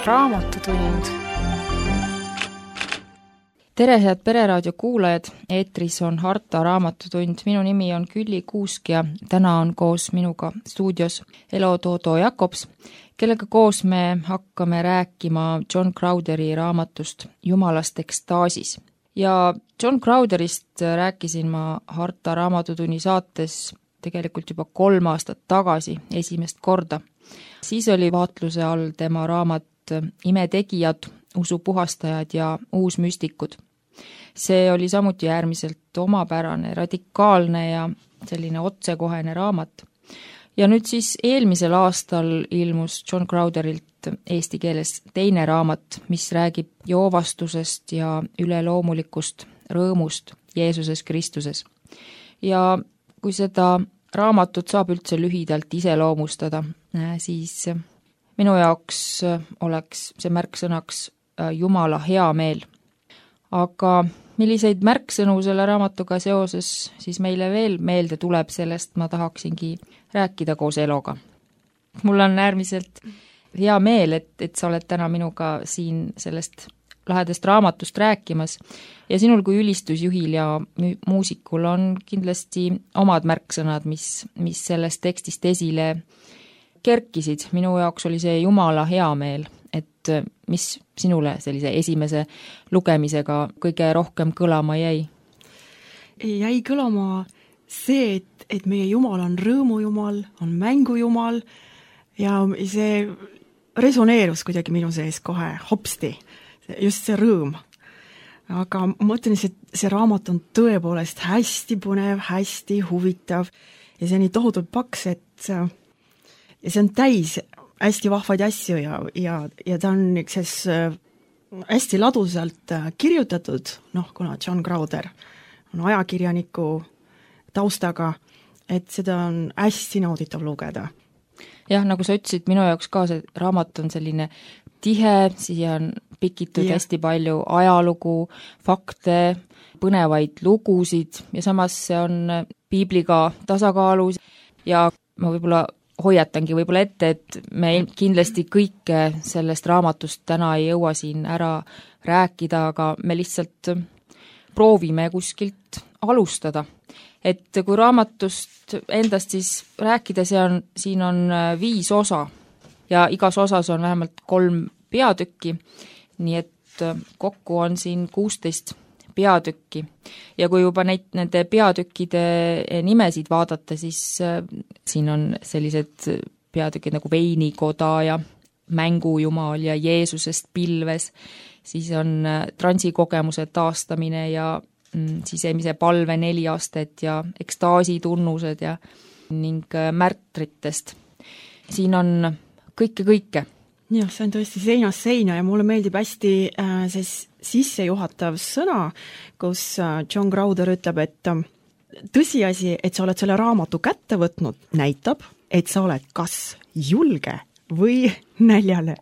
Raamatutund. Tere, head Pereraadio kuulajad, eetris on Harta Raamatutund. Minu nimi on Külli Kuusk ja täna on koos minuga stuudios Elo Toodo Jakobs, kellega koos me hakkame rääkima John Crowtheri raamatust Jumalast ekstaasis. Ja John Crowtherist rääkisin ma Harta Raamatutunni saates tegelikult juba 3 aastat tagasi esimest korda. Siis oli vaatluse all tema raamat Imetegijad, usupuhastajad ja uusmüstikud. See oli samuti äärmiselt omapärane, radikaalne ja selline otsekohene raamat. Ja nüüd siis eelmisel aastal ilmus John Crowtherilt eesti keeles teine raamat, mis räägib joovastusest ja üleloomulikust rõõmust Jeesuses Kristuses. Ja kui seda raamatut saab üldse lühidalt iseloomustada, siis minu jaoks oleks see märksõnaks Jumala hea meel. Aga milliseid märksõnu selle raamatuga seoses siis meile veel meelde tuleb, sellest ma tahaksingi rääkida koos Eloga. Mul on äärmiselt hea meel, et sa oled täna minuga siin sellest lahedast raamatust rääkimas ja sinul kui ülistusjuhil ja muusikul on kindlasti omad märksõnad, mis sellest tekstist esile kerkisid. Minu jaoks oli see Jumala hea meel, et mis sinule sellise esimese lugemisega kõige rohkem kõlama jäi? Jäi kõlama see, et meie Jumal on rõõmujumal, on mängujumal ja see resoneerus kuidagi minu sees kohe hopsti, just see rõõm. Aga ma mõtlen, et see raamat on tõepoolest hästi põnev, hästi huvitav ja see on nii tohutult paks, et see on täis hästi vahvaid asju ja ta on üks hästi ladusalt kirjutatud, kuna John Crowther on ajakirjaniku taustaga, et seda on hästi nauditav lugeda. Jah, nagu sa ütlesid, minu jaoks ka see raamat on selline tihe, siia on pikitud hästi palju ajalugu, fakte, põnevaid lugusid ja samas see on piibliga tasakaalus ja ma võib-olla hoiatangi ette, et me kindlasti kõike sellest raamatust täna ei jõua siin ära rääkida, aga me lihtsalt proovime kuskilt alustada. Et kui raamatust endast siis rääkida, siin on 5 osa ja igas osas on vähemalt 3 peatükki, nii et kokku on siin 16 peatükki. Ja kui juba nende peatükkide nimesid vaadata, siis siin on sellised peatükid nagu Veinikoda ja Mängujumal ja Jeesusest pilves, siis on transikogemuse taastamine ja sisemise palve 4 astet ja ekstaasi tunnused ja ning märtritest. Siin on kõike. Jah, see on tõesti seinast seina ja mulle meeldib hästi see sissejuhatav sõna, kus John Crowther ütleb, et tõsiasi, et sa oled selle raamatu kätte võtnud, näitab, et sa oled kas julge või näljale.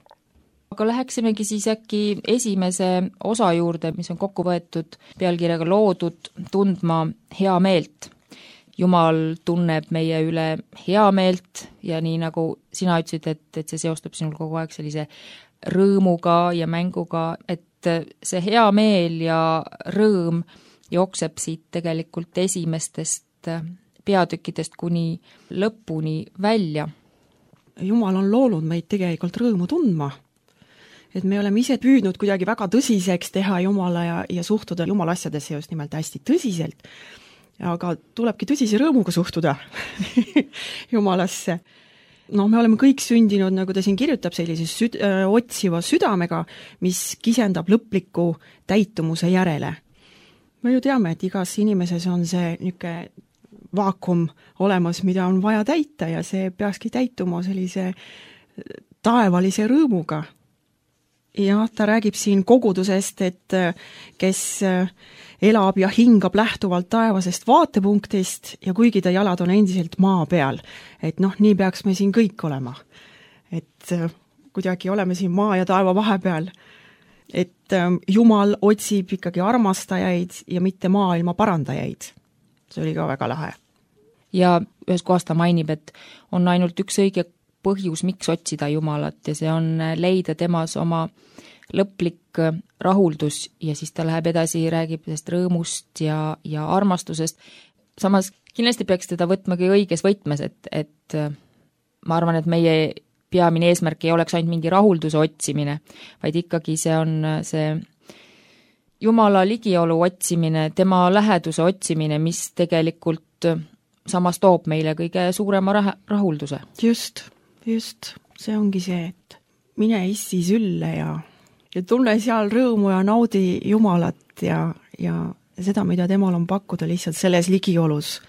Aga läheksimegi siis äkki esimese osa juurde, mis on kokku võetud pealkirjaga loodud tundma hea meelt. Jumal tunneb meie üle hea meelt ja nii nagu sina ütlesid, et see seostub sinul kogu aeg sellise rõõmuga ja mänguga, et see hea meel ja rõõm jookseb siit tegelikult esimestest peatükkidest kuni lõpuni välja. Jumal on loonud meid tegelikult rõõmu tundma. Et me oleme ise püüdnud kuidagi väga tõsiseks teha Jumala ja suhtuda Jumala asjadesse just nimelt hästi tõsiselt. Aga tulebki tõsise rõõmuga suhtuda Jumalasse. Me oleme kõik sündinud, nagu ta siin kirjutab, sellise otsiva südamega, mis kisendab lõpliku täitumuse järele. Me ju teame, et igas inimeses on see niisugune vaakum olemas, mida on vaja täita ja see peakski täituma sellise taevalise rõõmuga. Ja ta räägib siin kogudusest, et kes elab ja hingab lähtuvalt taevasest vaatepunktist ja kuigi ta jalad on endiselt maa peal, et nii peaks me siin kõik olema. Et kuidagi oleme siin maa ja taeva vahepeal, et Jumal otsib ikkagi armastajaid ja mitte maailma parandajaid. See oli ka väga lahe. Ja ühes kohas ta mainib, et on ainult üks õige põhjus, miks otsida Jumalat ja see on leida temas oma lõplik rahuldus ja siis ta läheb edasi, räägib sellest rõõmust ja armastusest. Samas kindlasti peaks teda võtmagi õiges võtmes, et ma arvan, et meie peamine eesmärk ei oleks ainult mingi rahulduse otsimine, vaid ikkagi see on see Jumala ligiolu otsimine, tema läheduse otsimine, mis tegelikult samas toob meile kõige suurema rahulduse. Just, see ongi see, et mine issi sülle ja tunne seal rõõmu ja naudi Jumalat ja seda, mida temal on pakkuda lihtsalt selles ligiolus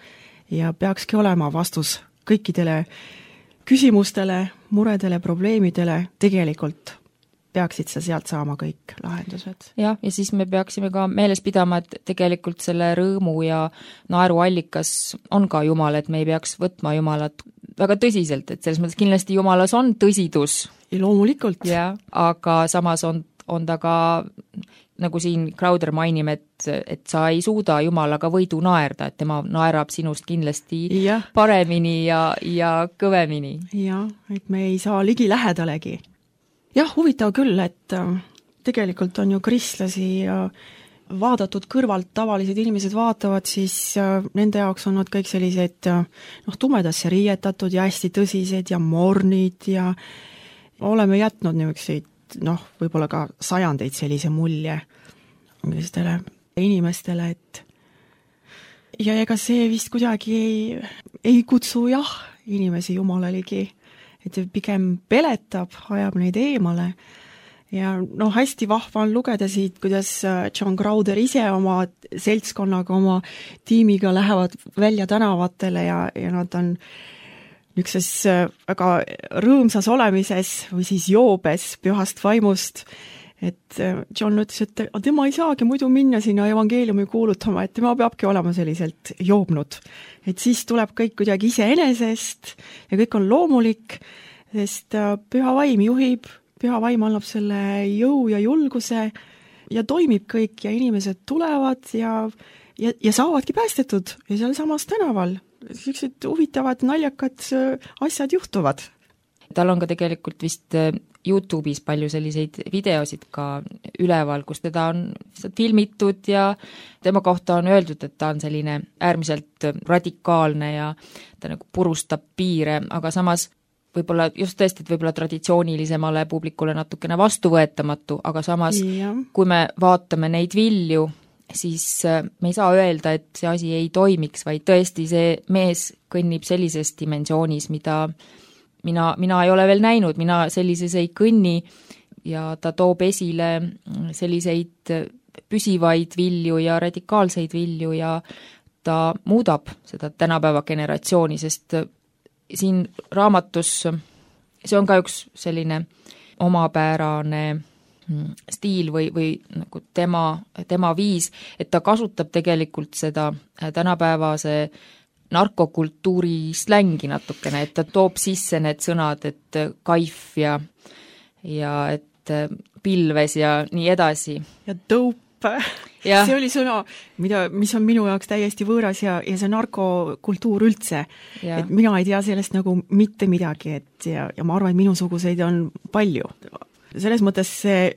ja peakski olema vastus kõikidele küsimustele, muredele, probleemidele, tegelikult peaksid sa sealt saama kõik lahendused. Ja siis me peaksime ka meeles pidama, et tegelikult selle rõõmu ja naeru allikas on ka Jumal, et me ei peaks võtma Jumalat väga tõsiselt, et selles mõttes kindlasti Jumalas on tõsidus. Ja loomulikult. Aga samas on ta ka, nagu siin Crowder mainib, et sa ei suuda Jumalaga võidu naerda, et tema naerab sinust kindlasti paremini ja kõvemini. Ja, et me ei saa ligi lähedalegi. Jah, huvitav küll, et tegelikult on ju kristlasi ja vaadatud kõrvalt, tavalised inimesed vaatavad, siis nende jaoks on nad kõik sellised tumedasse riietatud ja hästi tõsised ja mornid ja oleme jätnud niisuguseid võib-olla ka sajandeid sellise mulje sellistele inimestele, et ja ega see vist kuidagi ei kutsu inimesi Jumala ligi, et pigem peletab, ajab neid eemale ja hästi vahva on lugeda siit, kuidas John Crowder ise oma seltskonnaga, oma tiimiga lähevad välja tänavatele ja nad on niisuguses väga rõõmsas olemises või siis joobes pühast vaimust, et John ütles, et tema ei saagi muidu minna sinna evangeeliumi kuulutama, et tema peabki olema selliselt joobnud. Et siis tuleb kõik kuidagi iseenesest ja kõik on loomulik, sest püha vaim juhib, püha vaim annab selle jõu ja julguse ja toimib kõik ja inimesed tulevad ja saavadki päästetud ja seal samas tänaval. Sellised huvitavad, naljakad asjad juhtuvad. Tal on ka tegelikult vist YouTube'is palju selliseid videosid ka üleval, kus teda on filmitud ja tema kohta on öeldud, et ta on selline äärmiselt radikaalne ja ta nagu purustab piire, aga samas võib-olla just tõesti, et võib-olla traditsioonilisemale publikule natukene vastuvõetamatu, aga samas kui me vaatame neid vilju, siis me ei saa öelda, et see asi ei toimiks, vaid tõesti see mees kõnnib sellises dimensioonis, mida mina ei ole veel näinud, mina sellises ei kõnni ja ta toob esile selliseid püsivaid vilju ja radikaalseid vilju ja ta muudab seda tänapäeva generatsiooni, sest siin raamatus see on ka üks selline omapärane stiil või nagu tema viis, et ta kasutab tegelikult seda tänapäevase narkokultuuri slängi natukene, et ta toob sisse need sõnad, et kaif ja et pilves ja nii edasi. Ja tõup. See oli sõna, mis on minu jaoks täiesti võõras ja see narkokultuur üldse. Et mina ei tea sellest nagu mitte midagi, ja ma arvan, et minusuguseid on palju. Selles mõttes see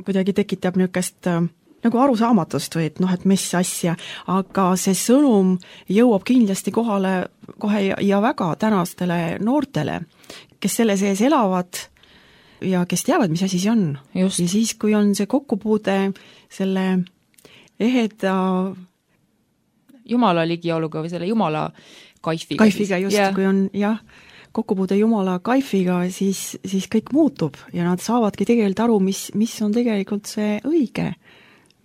kuidagi tekitab niisugust nagu arusaamatust või et mis asja, aga see sõnum jõuab kindlasti kohale kohe ja väga tänastele noortele, kes selle sees elavad ja kes teavad, mis asi see on. Just. Ja siis, kui on see kokkupuude selle eheda Jumala ligioluga või selle Jumala kaifiga. Kaifiga just, kui on kokkupuude Jumala kaifiga, siis kõik muutub ja nad saavadki tegelikult aru, mis on tegelikult see õige,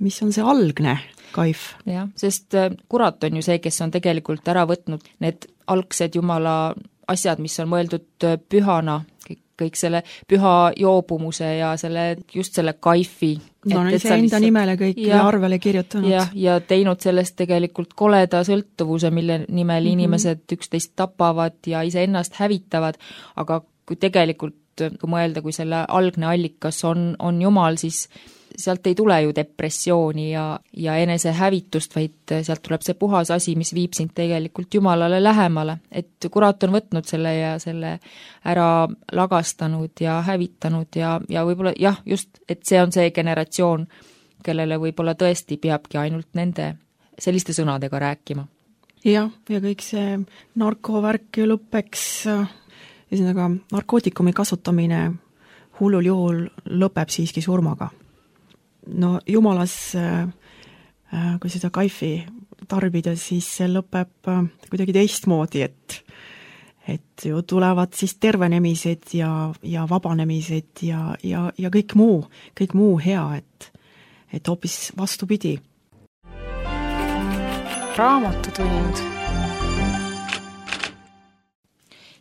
mis on see algne kaif. Jah, sest kurat on ju see, kes on tegelikult ära võtnud need algsed Jumala asjad, mis on mõeldud pühana, kõik selle püha joobumuse ja just selle kaifi. See enda nimele kõik ja arvele kirjutanud. Ja teinud sellest tegelikult koleda sõltuvuse, mille nimel inimesed üksteist tapavad ja iseennast hävitavad, aga kui tegelikult, kui mõelda, kui selle algne allikas on Jumal, siis sealt ei tule ju depressiooni ja enesehävitust, vaid sealt tuleb see puhas asi, mis viib sind tegelikult Jumalale lähemale. Et kurat on võtnud selle ja selle ära lagastanud ja hävitanud ja võib-olla jah, just, et see on see generatsioon, kellele võib-olla tõesti peabki ainult nende selliste sõnadega rääkima. Ja kõik see narkovärk ju lõppeks, ühesõnaga narkootikumi kasutamine hullul juhul lõpeb siiski surmaga. No jumalas, kui seda kaifi tarbida, siis see lõpeb kuidagi teistmoodi, et ju tulevad siis tervenemised ja vabanemised ja kõik muu hea, et hoopis vastupidi. Raamatutund.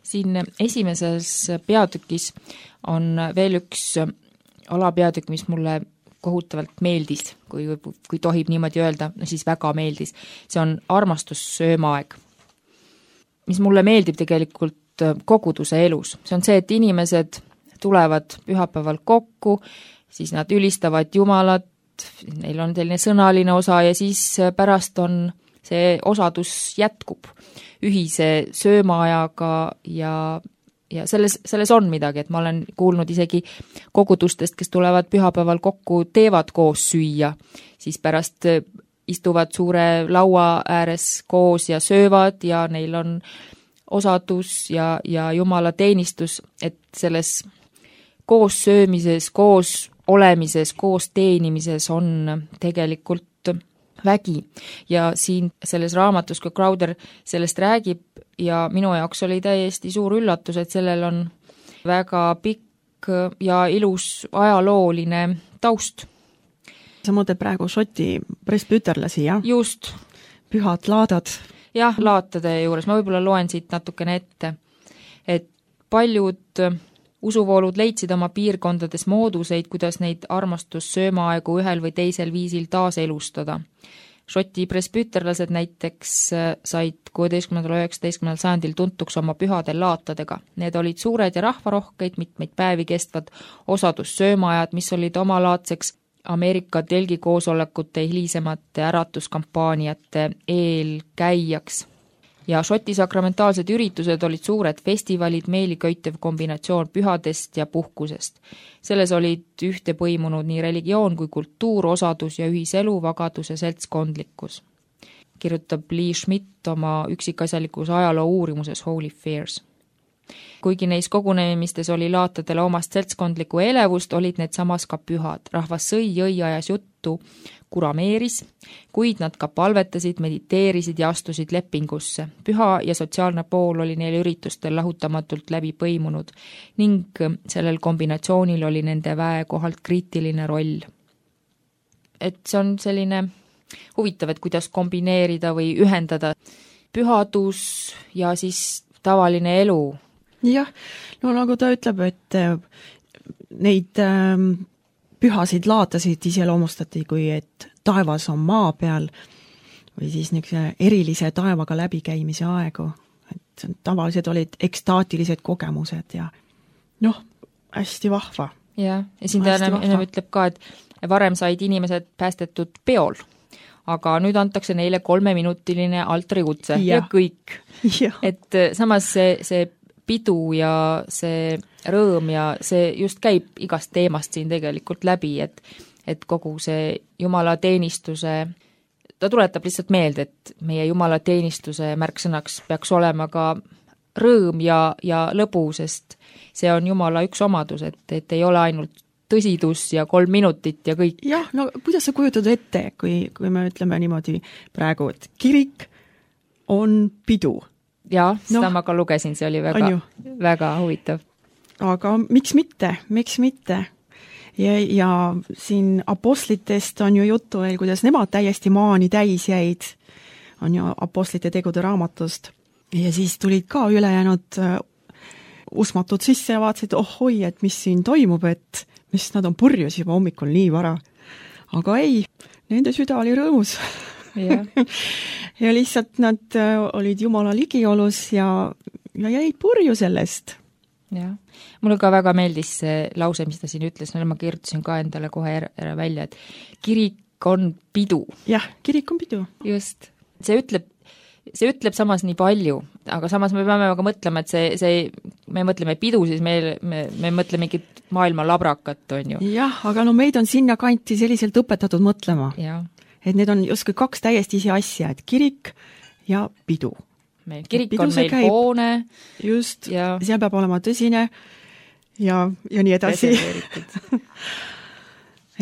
Siin esimeses peatükis on veel üks alapeatükk, mis mulle kohutavalt meeldis, kui tohib niimoodi öelda, no siis väga meeldis. See on armastussöömaaeg, mis mulle meeldib tegelikult koguduse elus. See on see, et inimesed tulevad pühapäeval kokku, siis nad ülistavad Jumalat, neil on selline sõnaline osa ja siis pärast on see osadus jätkub ühise söömaajaga ja selles on midagi, et ma olen kuulnud isegi kogudustest, kes tulevad pühapäeval kokku, teevad koos süüa, siis pärast istuvad suure laua ääres koos ja söövad ja neil on osadus ja Jumala teenistus, et selles koos söömises, koos olemises, koos teenimises on tegelikult vägi ja siin selles raamatus, kui Crowder sellest räägib ja minu jaoks oli täiesti suur üllatus, et sellel on väga pikk ja ilus ajalooline taust. Sa mõtled praegu Šoti presbüterlasi, jah? Just. Pühad laadad. Jah, laatade juures. Ma võib-olla loen siit natukene ette, et paljud usuvoolud leidsid oma piirkondades mooduseid, kuidas neid armastussöömaaegu ühel või teisel viisil taaselustada. Šoti presbüterlased näiteks said 16. ja 19. sajandil tuntuks oma pühadel laatadega. Need olid suured ja rahvarohkeid, mitmeid päevi kestvad osadussöömaajad, mis olid omalaadseks Ameerika telgikoosolekute hilisemate äratuskampaaniate eelkäijaks. Ja Šoti sakramentaalsed üritused olid suured festivalid, meeliköitev kombinatsioon pühadest ja puhkusest. Selles olid ühte põimunud nii religioon kui kultuur, osadus ja ühiselu, vagadus ja seltskondlikkus. Kirjutab Lee Schmidt oma üksikasjalikus ajaloo uurimuses Holy Fairs. Kuigi neis kogunemistes oli laatadele omast seltskondlikku elevust, olid need samas ka pühad. Rahvas sõi, jõi, ajas juttu, kurameeris, kuid nad ka palvetasid, mediteerisid ja astusid lepingusse. Püha ja sotsiaalne pool oli neil üritustel lahutamatult läbi põimunud ning sellel kombinatsioonil oli nende väe kohalt kriitiline roll. Et see on selline huvitav, et kuidas kombineerida või ühendada pühadus ja siis tavaline elu. Jah, no nagu ta ütleb, et neid pühasid laatasid iseloomustati, kui et taevas on maa peal või siis niisuguse erilise taevaga läbikäimise aegu. Et tavaliselt olid ekstaatilised kogemused ja hästi vahva. Ja siin ta ennem ütleb ka, et varem said inimesed päästetud peol, aga nüüd antakse neile 3-minutiline altarikutse ja kõik. Ja. Et samas see pidu ja see rõõm ja see just käib igast teemast siin tegelikult läbi, et kogu see Jumala teenistuse, ta tuletab lihtsalt meelde, et meie Jumala teenistuse märksõnaks peaks olema ka rõõm ja lõbu, sest see on Jumala üks omadus, et ei ole ainult tõsidus ja 3 minutit ja kõik. Jah, no kuidas sa kujutad ette, kui me ütleme niimoodi praegu, et kirik on pidu? Jaa, seda ma ka lugesin, see oli väga huvitav. Aga miks mitte? Ja siin apostlitest on ju juttu veel, kuidas nemad täiesti maani täis jäid, on ju apostlite tegude raamatust. Ja siis tulid ka ülejäänud usmatud sisse ja vaatasid, ohoi, et mis siin toimub, et mis nad on purjus juba hommikul nii vara. Aga ei, nende süda oli rõõmus. Yeah. Ja lihtsalt nad olid Jumala ligiolus ja jäid purju sellest. jah, mulle ka väga meeldis see lause, mis ta siin ütles, ma kirjutasin ka endale kohe ära välja, et kirik on pidu. Jah, kirik on pidu. Just, see ütleb samas nii palju, aga samas me peame aga mõtlema, et me mõtleme pidu, siis me mõtleme mingit maailma labrakat, on ju. Jah, aga no meid on sinna kanti selliselt õpetatud mõtlema. Ja. Et need on justkui kaks täiesti isi asja, et kirik ja pidu. Kirik on meil hoone. Just, ja seal peab olema tõsine ja nii edasi.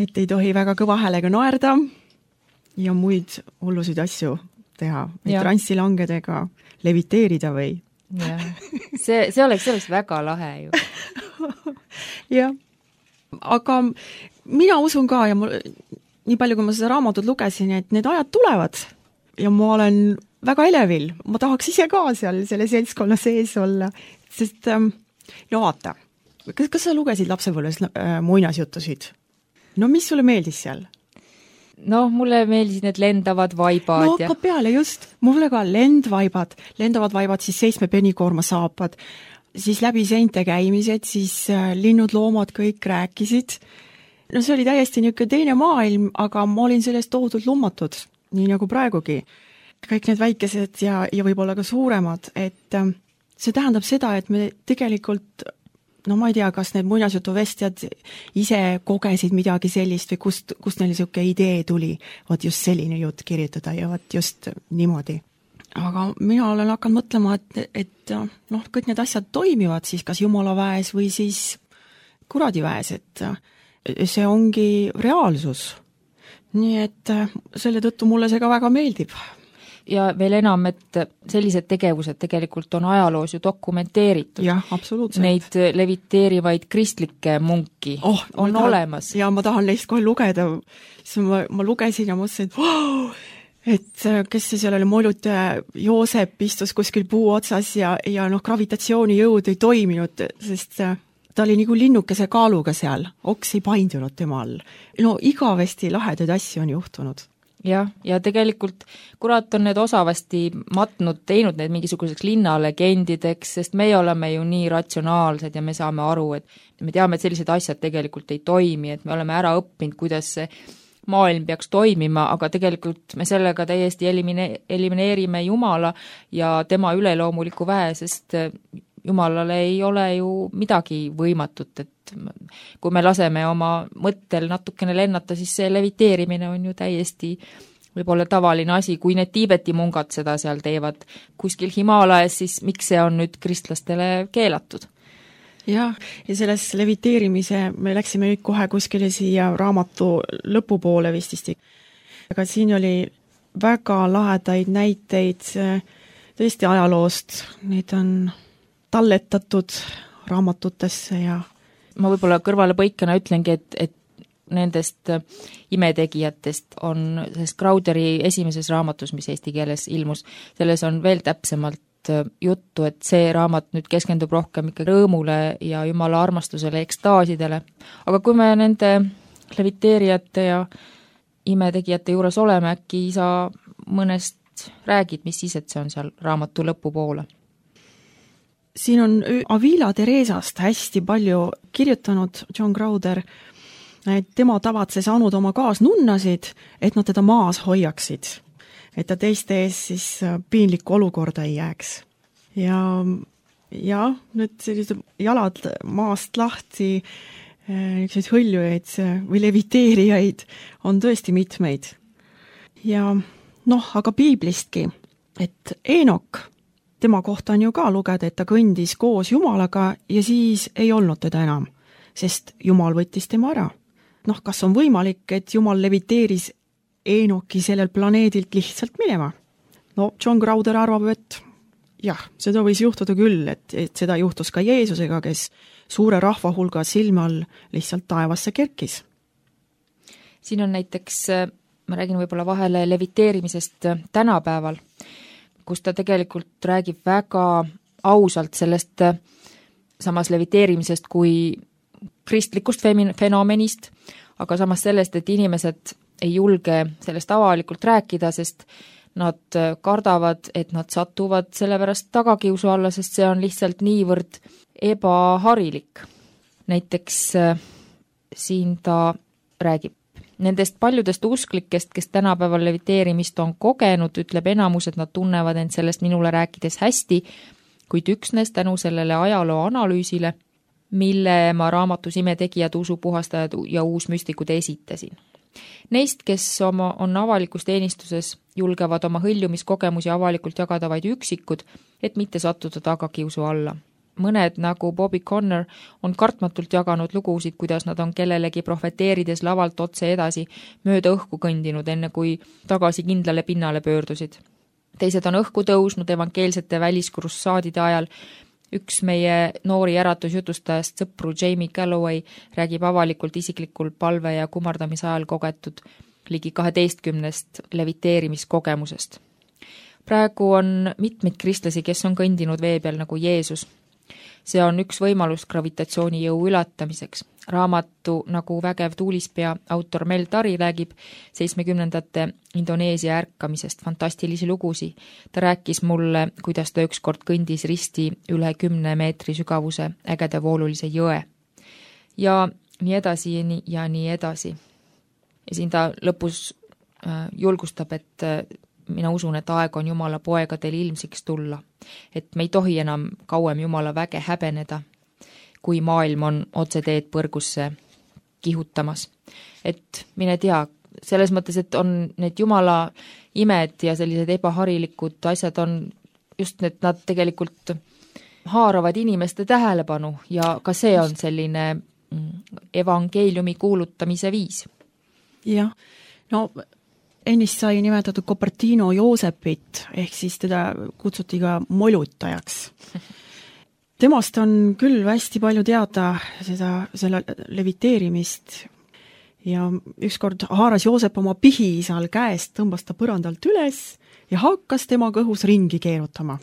Et ei tohi väga kõva häälega naerda ja muid hullusid asju teha, et transilangedega leviteerida või. Ja. See oleks väga lahe ju. Jah, aga mina usun ka ja nii palju, kui ma seda raamatut lugesin, et need ajad tulevad ja ma olen väga elevil, ma tahaks ise ka seal selle seltskonna sees olla, sest no vaata, kas sa lugesid lapsepõlves muinasjutusid? No mis sulle meeldis seal? No mulle meeldisid need lendavad vaibad. No ka peale just, mulle ka lendavad vaibad, siis 7 penikoorma saapad, siis läbi seinte käimised, siis linnud, loomad kõik rääkisid. No see oli täiesti niisugune teine maailm, aga ma olin sellest tohutult lummatud, nii nagu praegugi. Kõik need väikesed ja võib-olla ka suuremad, et see tähendab seda, et me tegelikult, no ma ei tea, kas need muinasjutuvestjad ise kogesid midagi sellist või kust neil niisugune idee tuli, vot just selline jutt kirjutada ja vot just niimoodi. Aga mina olen hakanud mõtlema, et noh, kõik need asjad toimivad siis kas jumalaväes või siis kuradiväes, et see ongi reaalsus. Nii et selle tõttu mulle see ka väga meeldib. Ja veel enam, et sellised tegevused tegelikult on ajaloos ju dokumenteeritud. Jah, absoluutselt. Neid leviteerivaid kristlikke munki on olemas. Ja ma tahan neist kohe lugeda. Siis ma lugesin ja mõtlesin, et kes see seal oli, Molutaja Joosep istus kuskil puu otsas ja gravitatsioonijõud ei toiminud, sest ta oli nagu linnukese kaaluga seal, oks ei paindunud tema all. No igavesti lahedaid asju on juhtunud. Ja tegelikult kurat on need osavasti matnud, teinud need mingisuguseks linnalegendideks, sest meie oleme ju nii ratsionaalsed ja me saame aru, et me teame, et sellised asjad tegelikult ei toimi, et me oleme ära õppinud, kuidas see maailm peaks toimima, aga tegelikult me sellega täiesti elimineerime Jumala ja tema üleloomuliku väe, sest Jumalale ei ole ju midagi võimatut, et kui me laseme oma mõttel natukene lennata, siis see leviteerimine on ju täiesti võib-olla tavaline asi, kui need Tiibeti mungad seda seal teevad kuskil Himaalajas, siis miks see on nüüd kristlastele keelatud? Jah, ja selles leviteerimise me läksime nüüd kohe kuskile siia raamatu lõpupoole vististi. Aga siin oli väga lahedaid näiteid tõesti ajaloost, neid on talletatud raamatutesse ja ma võib-olla kõrvale põikana ütlengi, et nendest imetegijatest on sellest Crowderi esimeses raamatus, mis eesti keeles ilmus, selles on veel täpsemalt juttu, et see raamat nüüd keskendub rohkem ikka rõõmule ja Jumala armastusele, ekstaasidele. Aga kui me nende leviteerijate ja imetegijate juures oleme, äkki sa mõnest räägid, mis siis, et see on seal raamatu lõpupoole? Siin on Avila Teresast hästi palju kirjutanud John Crowder, et tema tavatses anud oma kaasnunnasid, et nad teda maas hoiaksid, et ta teiste ees siis piinlikku olukorda ei jääks. Ja nüüd sellised jalad maast lahti, niisuguseid hõljujaid või leviteerijaid on tõesti mitmeid. Ja aga piiblistki, et Eenok, tema kohta on ju ka lugeda, et ta kõndis koos Jumalaga ja siis ei olnud teda enam, sest Jumal võttis tema ära. Kas on võimalik, et Jumal leviteeris Eenoki sellel planeedilt lihtsalt minema? John Crowder arvab, et jah, seda võis juhtuda küll, et seda juhtus ka Jeesusega, kes suure rahva hulga silme all lihtsalt taevasse kerkis. Siin on näiteks, ma räägin võib-olla vahele leviteerimisest tänapäeval, kus ta tegelikult räägib väga ausalt sellest samas leviteerimisest kui kristlikust fenomenist, aga samas sellest, et inimesed ei julge sellest avalikult rääkida, sest Nad kardavad, et nad satuvad sellepärast tagakiusu alla, sest see on lihtsalt niivõrd ebaharilik. Näiteks siin ta räägib nendest paljudest usklikest, kes tänapäeval leviteerimist on kogenud, ütleb enamus, et nad tunnevad end sellest minule rääkides hästi, kuid üksnes tänu sellele ajaloo analüüsile, mille ma raamatus Imetegijad, usupuhastajad ja uusmüstikud esitasin. Neist, kes on avalikus teenistuses, julgevad oma hõljumiskogemusi avalikult jagada vaid üksikud, et mitte sattuda tagakiusu alla. Mõned, nagu Bobby Connor, on kartmatult jaganud lugusid, kuidas nad on kellelegi profeteerides lavalt otse edasi mööda õhku kõndinud, enne kui tagasi kindlale pinnale pöördusid. Teised on õhku tõusnud evangeelsete väliskrussaadide ajal. Üks meie noori äratusjutustajast sõpru Jamie Galloway räägib avalikult isiklikul palve ja kummardamise ajal kogetud ligi 12 leviteerimiskogemusest. Praegu on mitmeid kristlasi, kes on kõndinud vee peal nagu Jeesus. See on üks võimalus gravitatsioonijõu ületamiseks. Raamatu nagu Vägev tuulispea autor Mel Tari räägib 70ndate Indoneesia ärkamisest, fantastilisi lugusi. Ta rääkis mulle, kuidas ta ükskord kõndis risti üle 10 meetri sügavuse ägeda voolulise jõe. Ja nii edasi ja nii edasi. Ja siin ta lõpus julgustab, et mina usun, et aeg on Jumala poegadel ilmsiks tulla, et me ei tohi enam kauem Jumala väge häbeneda, kui maailm on otseteed põrgusse kihutamas. Et mine tea, selles mõttes, et on need Jumala imed ja sellised ebaharilikud asjad on just need, nad tegelikult haaravad inimeste tähelepanu ja ka see on selline evangeeliumi kuulutamise viis. Jah, no ennist sai nimetatud Cupertino Joosepit, ehk siis teda kutsuti ka molutajaks. Temast on küll hästi palju teada selle leviteerimist ja ükskord haaras Joosep oma pihiisal käest, tõmbas ta põrandalt üles ja hakkas tema kõhus ringi keerutama.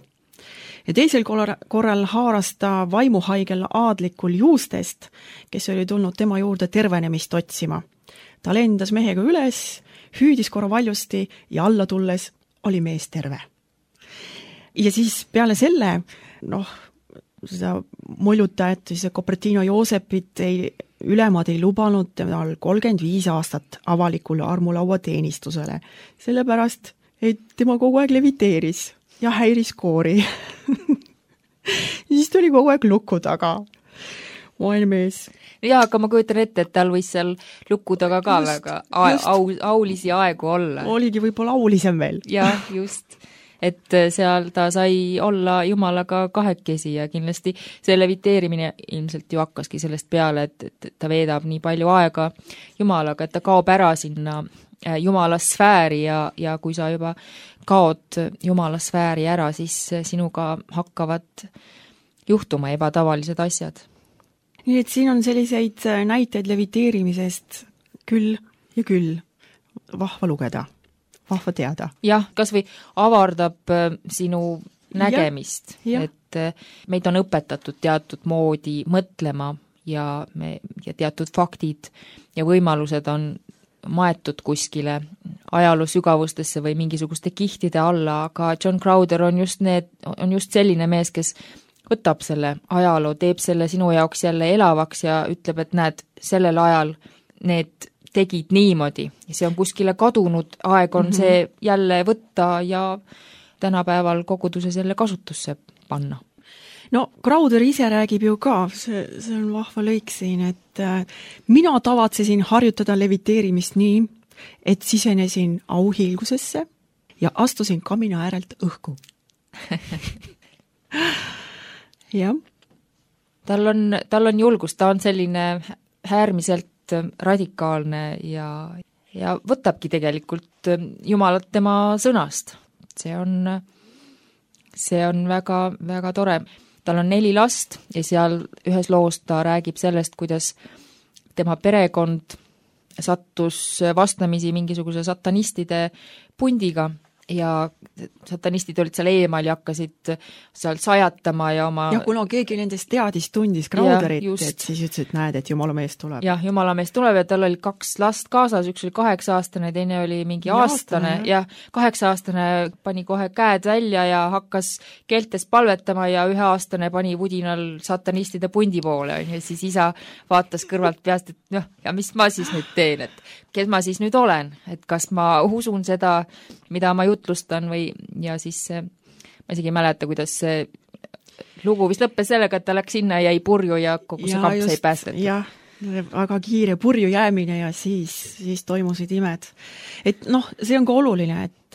Ja teisel korral haaras ta vaimuhaigel aadlikul Juustest, kes oli tulnud tema juurde tervenemist otsima. Ta lendas mehega üles, hüüdis korra valjusti ja alla tulles oli mees terve. Ja siis peale selle, seda molutajat, siis Cupertino Joosepit ülemad ei lubanud temal 35 aastat avalikule armulaua teenistusele, sellepärast, et tema kogu aeg leviteeris ja häiris koori. Siis tuli kogu aeg luku taga. Maailmees. Jaa, aga ma kujutan ette, et tal võis seal luku taga ka just, väga aulisi aegu olla. Oligi võib-olla aulisem veel. Jah, just. Et seal ta sai olla Jumalaga kahekesi ja kindlasti see leviteerimine ilmselt ju hakkaski sellest peale, et ta veedab nii palju aega Jumalaga, et ta kaob ära sinna Jumala sfääri ja kui sa juba kaod Jumala sfääri ära, siis sinuga hakkavad juhtuma ebatavalised asjad. Nii et siin on selliseid näiteid leviteerimisest küll ja küll vahva lugeda, vahva teada. Jah, kas või avardab sinu nägemist, et meid on õpetatud teatud moodi mõtlema ja teatud faktid ja võimalused on maetud kuskile ajaloo sügavustesse või mingisuguste kihtide alla, aga John Crowder on just selline mees, kes võtab selle ajaloo, teeb selle sinu jaoks jälle elavaks ja ütleb, et näed, sellel ajal need tegid niimoodi ja see on kuskile kadunud, aeg on see jälle võtta ja tänapäeval koguduses jälle kasutusse panna. No Crowder ise räägib ju ka, see on vahva lõik siin, et mina tavatsesin harjutada leviteerimist nii, et sisenesin auhiilgusesse ja astusin kamina äärelt õhku. Jah. Tal on julgus, ta on selline äärmiselt radikaalne ja võtabki tegelikult Jumalat tema sõnast. See on väga, väga tore. Tal on 4 last ja seal ühes loos ta räägib sellest, kuidas tema perekond sattus vastamisi mingisuguse satanistide pundiga ja satanistid olid seal eemal ja hakkasid seal sajatama ja oma... Ja kuna keegi nendest tundis Crowderit, et siis ütles, et näed, et Jumala mees tuleb. Jah, Jumala mees tuleb ja tal oli 2 last kaasas, üks oli 8-aastane, teine oli mingi aastane ja 8-aastane pani kohe käed välja ja hakkas keeltes palvetama ja 1-aastane pani vudinal satanistide pundi poole ja siis isa vaatas kõrvalt peast, et ja mis ma siis nüüd teen, et kes ma siis nüüd olen, et kas ma usun seda, mida ma jutlustan või, ja siis ma isegi ei mäleta, kuidas see lugu vist lõppes sellega, et ta läks sinna ja jäi purju ja kogu see kamp sai päästetud. Jah, väga kiire purju jäämine ja siis toimusid imed. Et see on ka oluline, et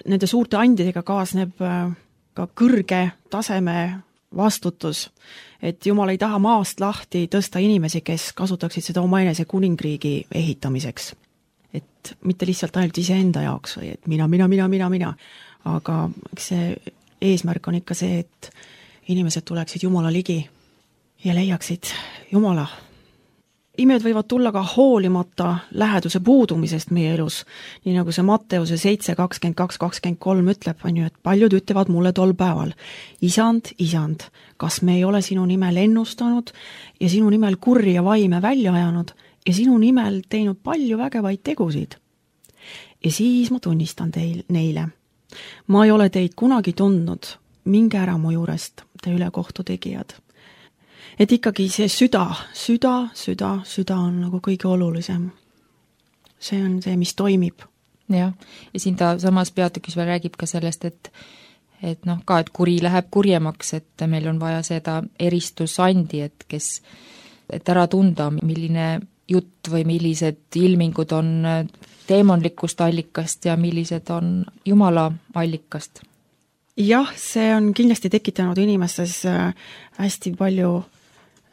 nende suurte andidega kaasneb ka kõrge taseme vastutus, et Jumal ei taha maast lahti tõsta inimesi, kes kasutaksid seda omaenese kuningriigi ehitamiseks. Et mitte lihtsalt ainult iseenda jaoks või et mina, aga see eesmärk on ikka see, et inimesed tuleksid Jumala ligi ja leiaksid Jumala. Imed võivad tulla ka hoolimata läheduse puudumisest meie elus, nii nagu see Matteuse 7:22-23 ütleb, on ju, et paljud ütlevad mulle tol päeval, isand, kas me ei ole sinu nimel ennustanud ja sinu nimel kurja vaime välja ajanud ja sinu nimel teinud palju vägevaid tegusid. Ja siis ma tunnistan neile. Ma ei ole teid kunagi tundnud, minge ära mu juurest, te ülekohtu tegijad. Et ikkagi see süda on nagu kõige olulisem. See on see, mis toimib. Ja siin ta samas peatükis veel räägib ka sellest, et kuri läheb kurjemaks, et meil on vaja seda eristusandi, et ära tunda, milline jutt või millised ilmingud on teemonlikust allikast ja millised on Jumala allikast. Jah, see on kindlasti tekitanud inimestes hästi palju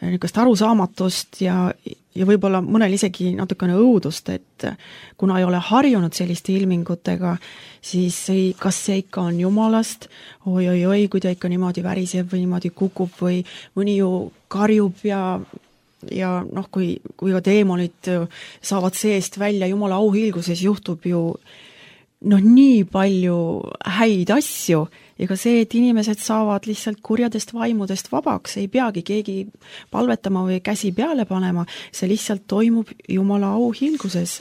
niisugust arusaamatust ja võib-olla mõnel isegi natukene õudust, et kuna ei ole harjunud selliste ilmingutega, siis kas see ikka on Jumalast, oi, kui ta ikka niimoodi väriseb või niimoodi kukub või mõni ju karjub ja kui ka teemonid saavad seest välja Jumala auhilguses, juhtub ju nii palju häid asju, ega see, et inimesed saavad lihtsalt kurjadest vaimudest vabaks, ei peagi keegi palvetama või käsi peale panema, see lihtsalt toimub Jumala auhilguses.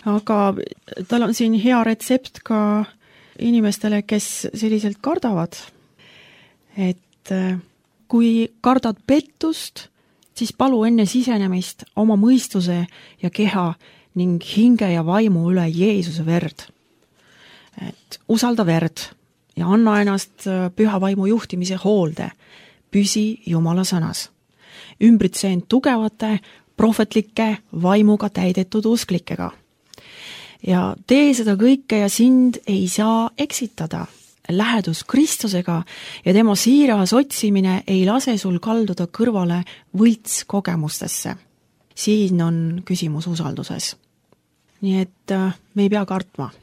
Aga tal on siin hea retsept ka inimestele, kes selliselt kardavad. Et kui kardad pettust, siis palu enne sisenemist oma mõistuse ja keha ning hinge ja vaimu üle Jeesuse verd. Et usalda verd ja anna ennast püha vaimu juhtimise hoolde. Püsi Jumala sõnas. Ümbritse end tugevate, prohvetlike, vaimuga täidetud usklikega. Ja tee seda kõike ja sind ei saa eksitada. Lähedus Kristusega ja tema siiras otsimine ei lase sul kalduda kõrvale võlts kogemustesse. Siin on küsimus usalduses. Nii et me ei pea kartma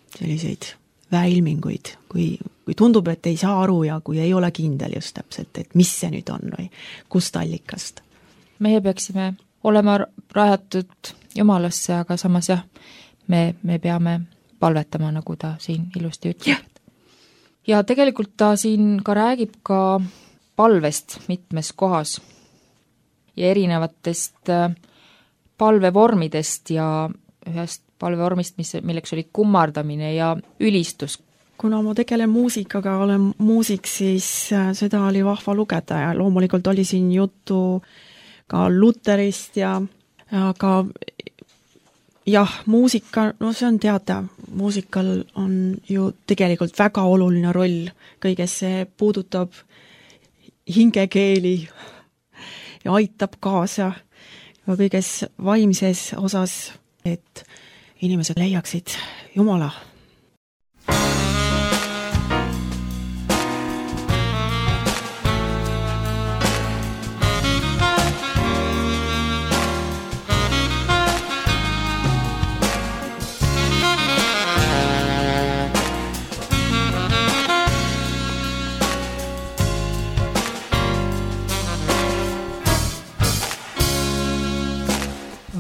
selliseid väeilminguid, kui tundub, et ei saa aru ja kui ei ole kindel just täpselt, et mis see nüüd on või kust allikast. Meie peaksime olema rajatud Jumalasse, aga samas me peame palvetama, nagu ta siin ilusti ütleb. Ja tegelikult ta siin ka räägib ka palvest mitmes kohas ja erinevatest palvevormidest ja ühest palvevormist, milleks oli kummardamine ja ülistus. Kuna ma tegelen muusikaga, olen muusik, siis seda oli vahva lugeda ja loomulikult oli siin juttu ka Luterist aga muusika, see on teada, muusikal on ju tegelikult väga oluline roll kõiges, see puudutab hingekeeli ja aitab kaasa kõiges vaimses osas, et inimesed leiaksid Jumala.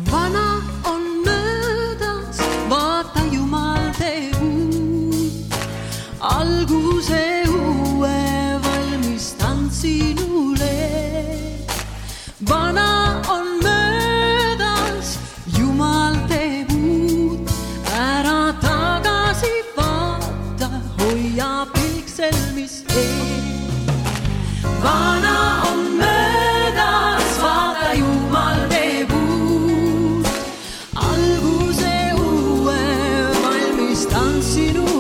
Vana on möödas, vaata Jumal teeb alguse uue valmistan sinule. Vana on möödas, Jumal teeb uut, ära tagasi vaata, hoia piksel, mis ees. Vana on möödas, vaata, Jumal teeb uut, alguse uue valmistan sinule.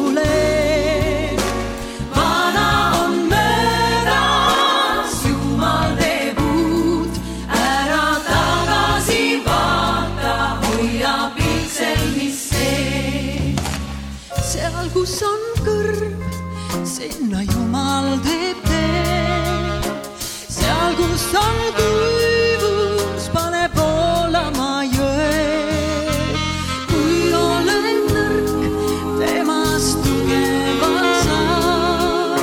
Kus on kõrv, sinna Jumal teeb tee. Seal, kus on kuivus, pane voolama jõe. Kui olen nõrk, temast tugeva saab.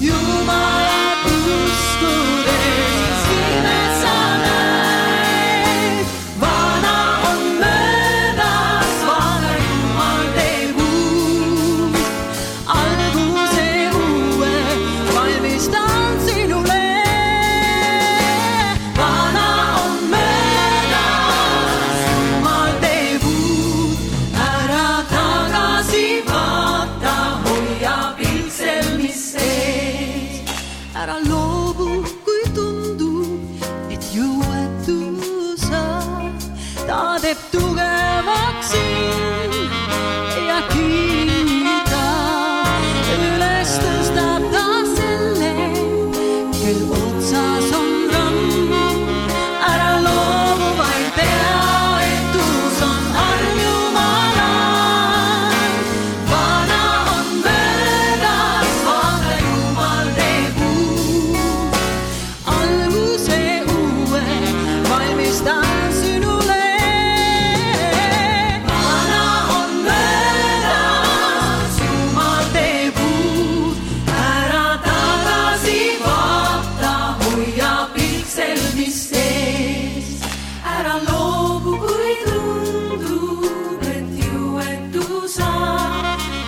Jumalat uskudes imes sa näed. Vana on möödas, vaata, Jumal teeb alguse uue valmistan sinule. Vana on möödas, Jumal teeb uut, ära tagasi vaata, hoia piksel, mis sees. Ära loobu, kui tundub, et jõuetu sa, ta teeb tugevaks sind ja kiita. Üles tõstab ta selle, kel otsas on ramm. Ära loobu, vaid tea, et uus on arm Jumalal. Vana on möödas, vaata, Jumal teeb uut, alguse uue valmistan sinule. Vana on möödas, Jumal teeb uut, ära tagasi vaata, hoia piksel, mis sees. Ära loobu, kui tundub, et jõuetu sa,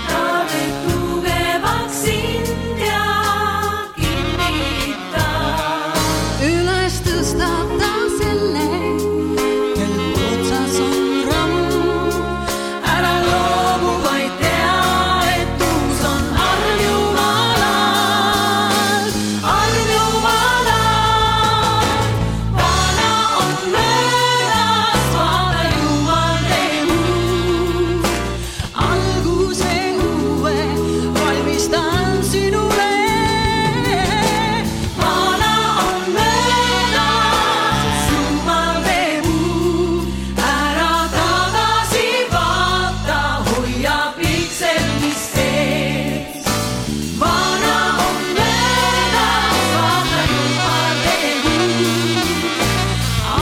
ta teeb tugevaks sind ja kinnita. Üles tõstab ta selle, kel otsas on ramm. Ära loobu, vaid tea, et uus on arm Jumalal. Arm Jumalal. Vana on möödas, vaata, Jumal teeb uut, alguse uue valmistan sinule. Vana on möödas, Jumal teeb uut, ära tagasi vaata, hoia piksel, mis sees. Vana on möödas, vaata, Jumal teeb uut,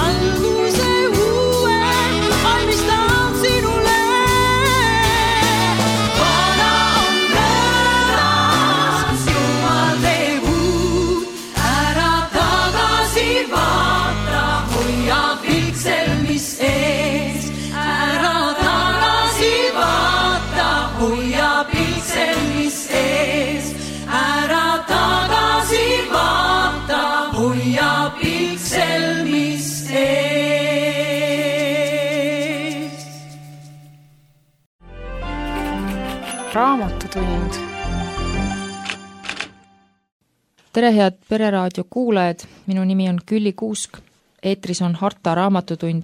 alguse uue valmistan sinule. Vana on möödas, Jumal teeb uut, ära tagasi vaata, hoia piksel, mis ees. Ära tagasi vaata, hoia piksel, mis ees. Ära tagasi vaata, hoia piksel, mis ees. Raamatutund. tere, head Pereraadio kuulajad, minu nimi on Külli Kuusk, eetris on Harta raamatutund.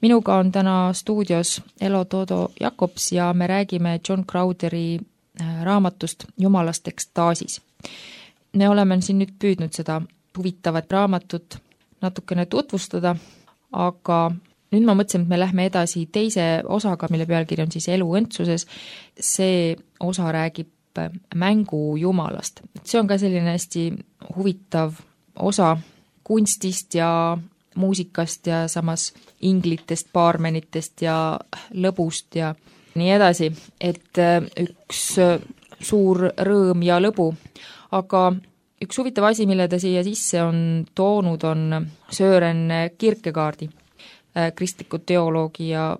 Minuga on täna stuudios Elo Toodo Jakobs ja me räägime John Crowderi raamatust Jumalast ekstaasis. Me oleme siin nüüd püüdnud seda huvitavat raamatut natukene tutvustada, aga nüüd ma mõtlesin, et me lähme edasi teise osaga, mille pealkiri on siis Elu õndsuses. See osa räägib mängu Jumalast. See on ka selline hästi huvitav osa kunstist ja muusikast ja samas inglitest, baarmenitest ja lõbust ja nii edasi, et üks suur rõõm ja lõbu. Aga üks huvitav asi, mille ta siia sisse on toonud, on Søren Kierkegaardi, kristliku teoloogi ja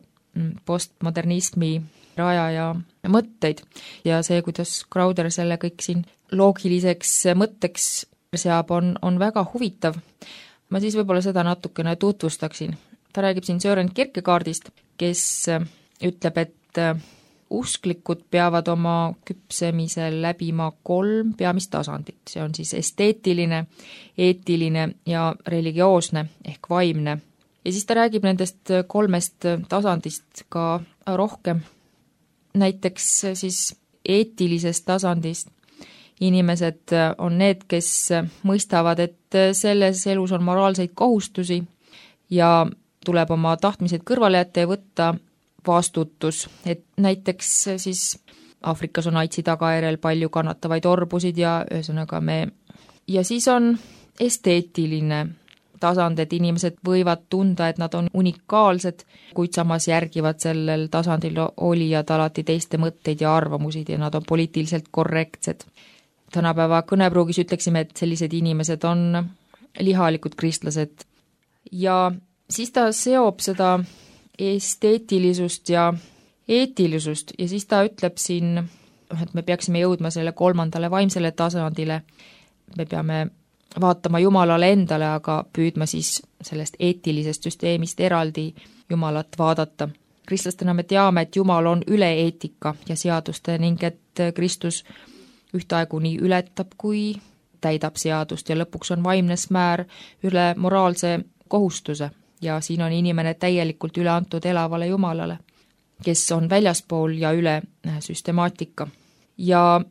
postmodernismi rajaja mõtteid ja see, kuidas Crowder selle kõik siin loogiliseks mõtteks seab, on väga huvitav. Ma siis võib-olla seda natukene tutvustaksin. Ta räägib siin Søren Kierkegaardist, kes ütleb, et usklikud peavad oma küpsemisel läbima 3 peamist tasandit. See on siis esteetiline, eetiline ja religioosne ehk vaimne. Ja siis ta räägib nendest 3 tasandist ka rohkem. Näiteks siis eetilisest tasandist inimesed on need, kes mõistavad, et selles elus on moraalseid kohustusi ja tuleb oma tahtmised kõrvale jätta ja võtta vastutus, et näiteks siis Aafrikas on AIDSi tagajärjel palju kannatavaid orbusid ja ühesõnaga ja siis on esteetiline tasand, et inimesed võivad tunda, et nad on unikaalsed, kuid samas järgivad sellel tasandil olijad alati teiste mõtteid ja arvamusid ja nad on poliitiliselt korrektsed. Tänapäeva kõnepruugis ütleksime, et sellised inimesed on lihalikud kristlased ja siis ta seob seda esteetilisust ja eetilisust ja siis ta ütleb siin, et me peaksime jõudma selle 3. vaimsele tasandile. Me peame vaatama Jumalale endale, aga püüdma siis sellest eetilisest süsteemist eraldi Jumalat vaadata. Kristlastena me teame, et Jumal on üle eetika ja seaduste ning et Kristus ühtaegu nii ületab kui täidab seadust ja lõpuks on vaimne smäär üle moraalse kohustuse. Ja siin on inimene täielikult üle antud elavale Jumalale, kes on väljaspool ja üle süstemaatika. Ja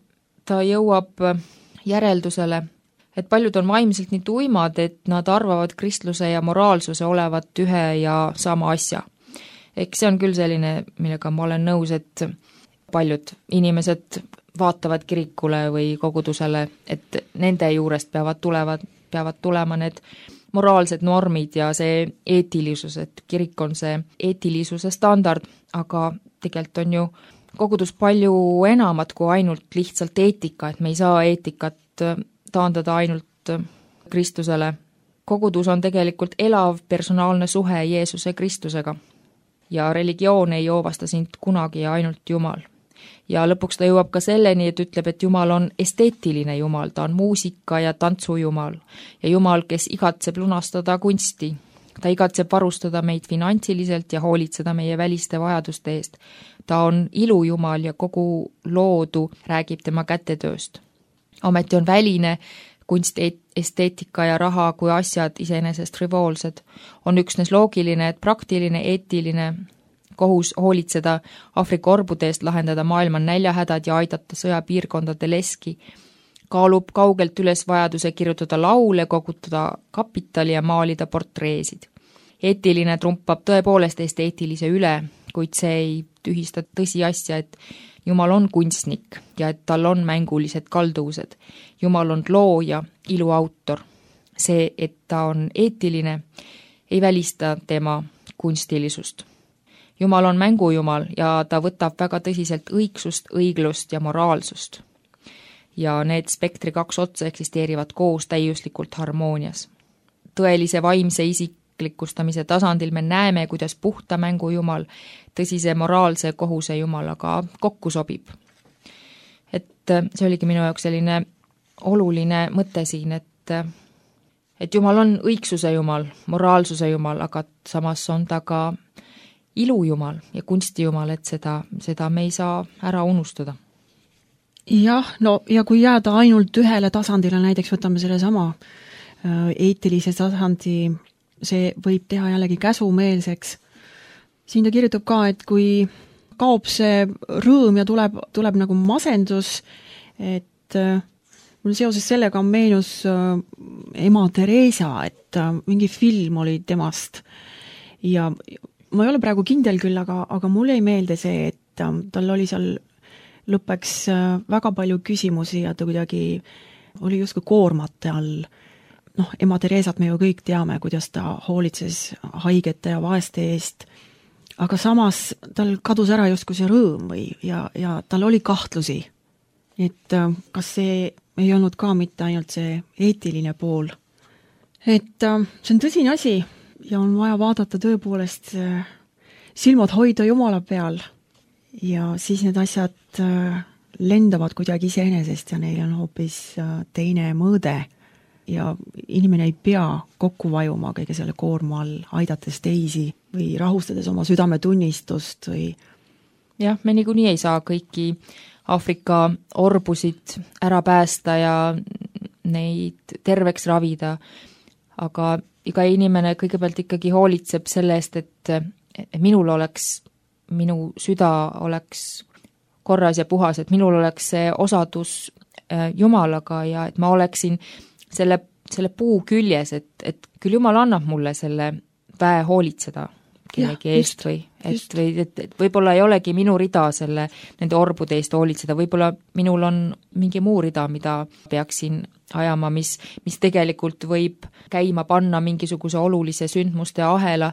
ta jõuab järeldusele, et paljud on vaimselt nii tuimad, et nad arvavad kristluse ja moraalsuse olevat ühe ja sama asja. Eks see on küll selline, millega ma olen nõus, et paljud inimesed vaatavad kirikule või kogudusele, et nende juurest peavad tulema need moraalsed normid ja see eetilisus, et kirik on see eetilisuse standard, aga tegelikult on ju kogudus palju enamat kui ainult lihtsalt eetika, et me ei saa eetikat taandada ainult Kristusele. Kogudus on tegelikult elav personaalne suhe Jeesuse Kristusega ja religioon ei joovasta sind kunagi ja ainult Jumal. Ja lõpuks ta jõuab ka selleni, et ütleb, et Jumal on esteetiline Jumal, ta on muusika ja tantsu Jumal ja Jumal, kes igatseb lunastada kunsti. Ta igatseb varustada meid finantsiliselt ja hoolitseda meie väliste vajaduste eest. Ta on ilu Jumal ja kogu loodu räägib tema kätetööst. Ometi on väline kunst, esteetika ja raha kui asjad iseenesest frivoolsed. On üksnes loogiline, et praktiline, eetiline kohus hoolitseda Aafrika orbude eest, lahendada maailma näljahädad ja aidata sõjapiirkondade leski, kaalub kaugelt üles vajaduse kirjutada laule, kogutada kapitali ja maalida portreesid. Eetiline trumpab tõepoolest esteetilise üle, kuid see ei tühista tõsiasja, et Jumal on kunstnik ja et tal on mängulised kalduvused. Jumal on looja, iluautor. See, et ta on eetiline, ei välista tema kunstilisust. Jumal on mängujumal ja ta võtab väga tõsiselt õigsust, õiglust ja moraalsust. Ja need spektri 2 otsa eksisteerivad koos täiuslikult harmoonias. Tõelise vaimse isiklikustamise tasandil me näeme, kuidas puhta mängujumal tõsise moraalse kohuse Jumalaga kokku sobib. Et see oligi minu jaoks selline oluline mõte siin, et Jumal on õigsuse Jumal, moraalsuse Jumal, aga samas on ta ka ilujumal ja kunstijumal, et seda me ei saa ära unustada. Jah, no ja kui jääda ainult ühele tasandile, näiteks võtame selle sama eetilise tasandi, see võib teha jällegi käsumeelseks. Siin ta kirjutab ka, et kui kaob see rõõm ja tuleb nagu masendus, et mul seoses sellega meenus ema Teresa, et mingi film oli temast ja ma ei ole praegu kindel küll, aga mulle ei meelde see, et tal oli seal lõppeks väga palju küsimusi ja ta kuidagi oli justkui koormate all. Ema Teresat me ju kõik teame, kuidas ta hoolitses haigete ja vaeste eest, aga samas tal kadus ära justkui see rõõm ja tal oli kahtlusi. Et kas see ei olnud ka mitte ainult see eetiline pool. Et see on tõsine asi ja on vaja vaadata tõepoolest silmad hoida Jumala peal ja siis need asjad lendavad kuidagi iseenesest ja neil on hoopis teine mõõde ja inimene ei pea kokku vajuma kõige selle koorma all, aidates teisi või rahustades oma südametunnistust või jah, me niikuinii ei saa kõiki Aafrika orbusid ära päästa ja neid terveks ravida, aga iga inimene kõigepealt ikkagi hoolitseb selle eest, et minu süda oleks korras ja puhas, et minul oleks see osadus Jumalaga ja et ma oleksin selle puu küljes, et küll Jumal annab mulle selle väe hoolitseda kellegi eest et võib-olla ei olegi minu rida nende orbude eest hoolitseda, võib-olla minul on mingi muu rida, mida peaksin ajama, mis tegelikult võib käima panna mingisuguse olulise sündmuste ahela.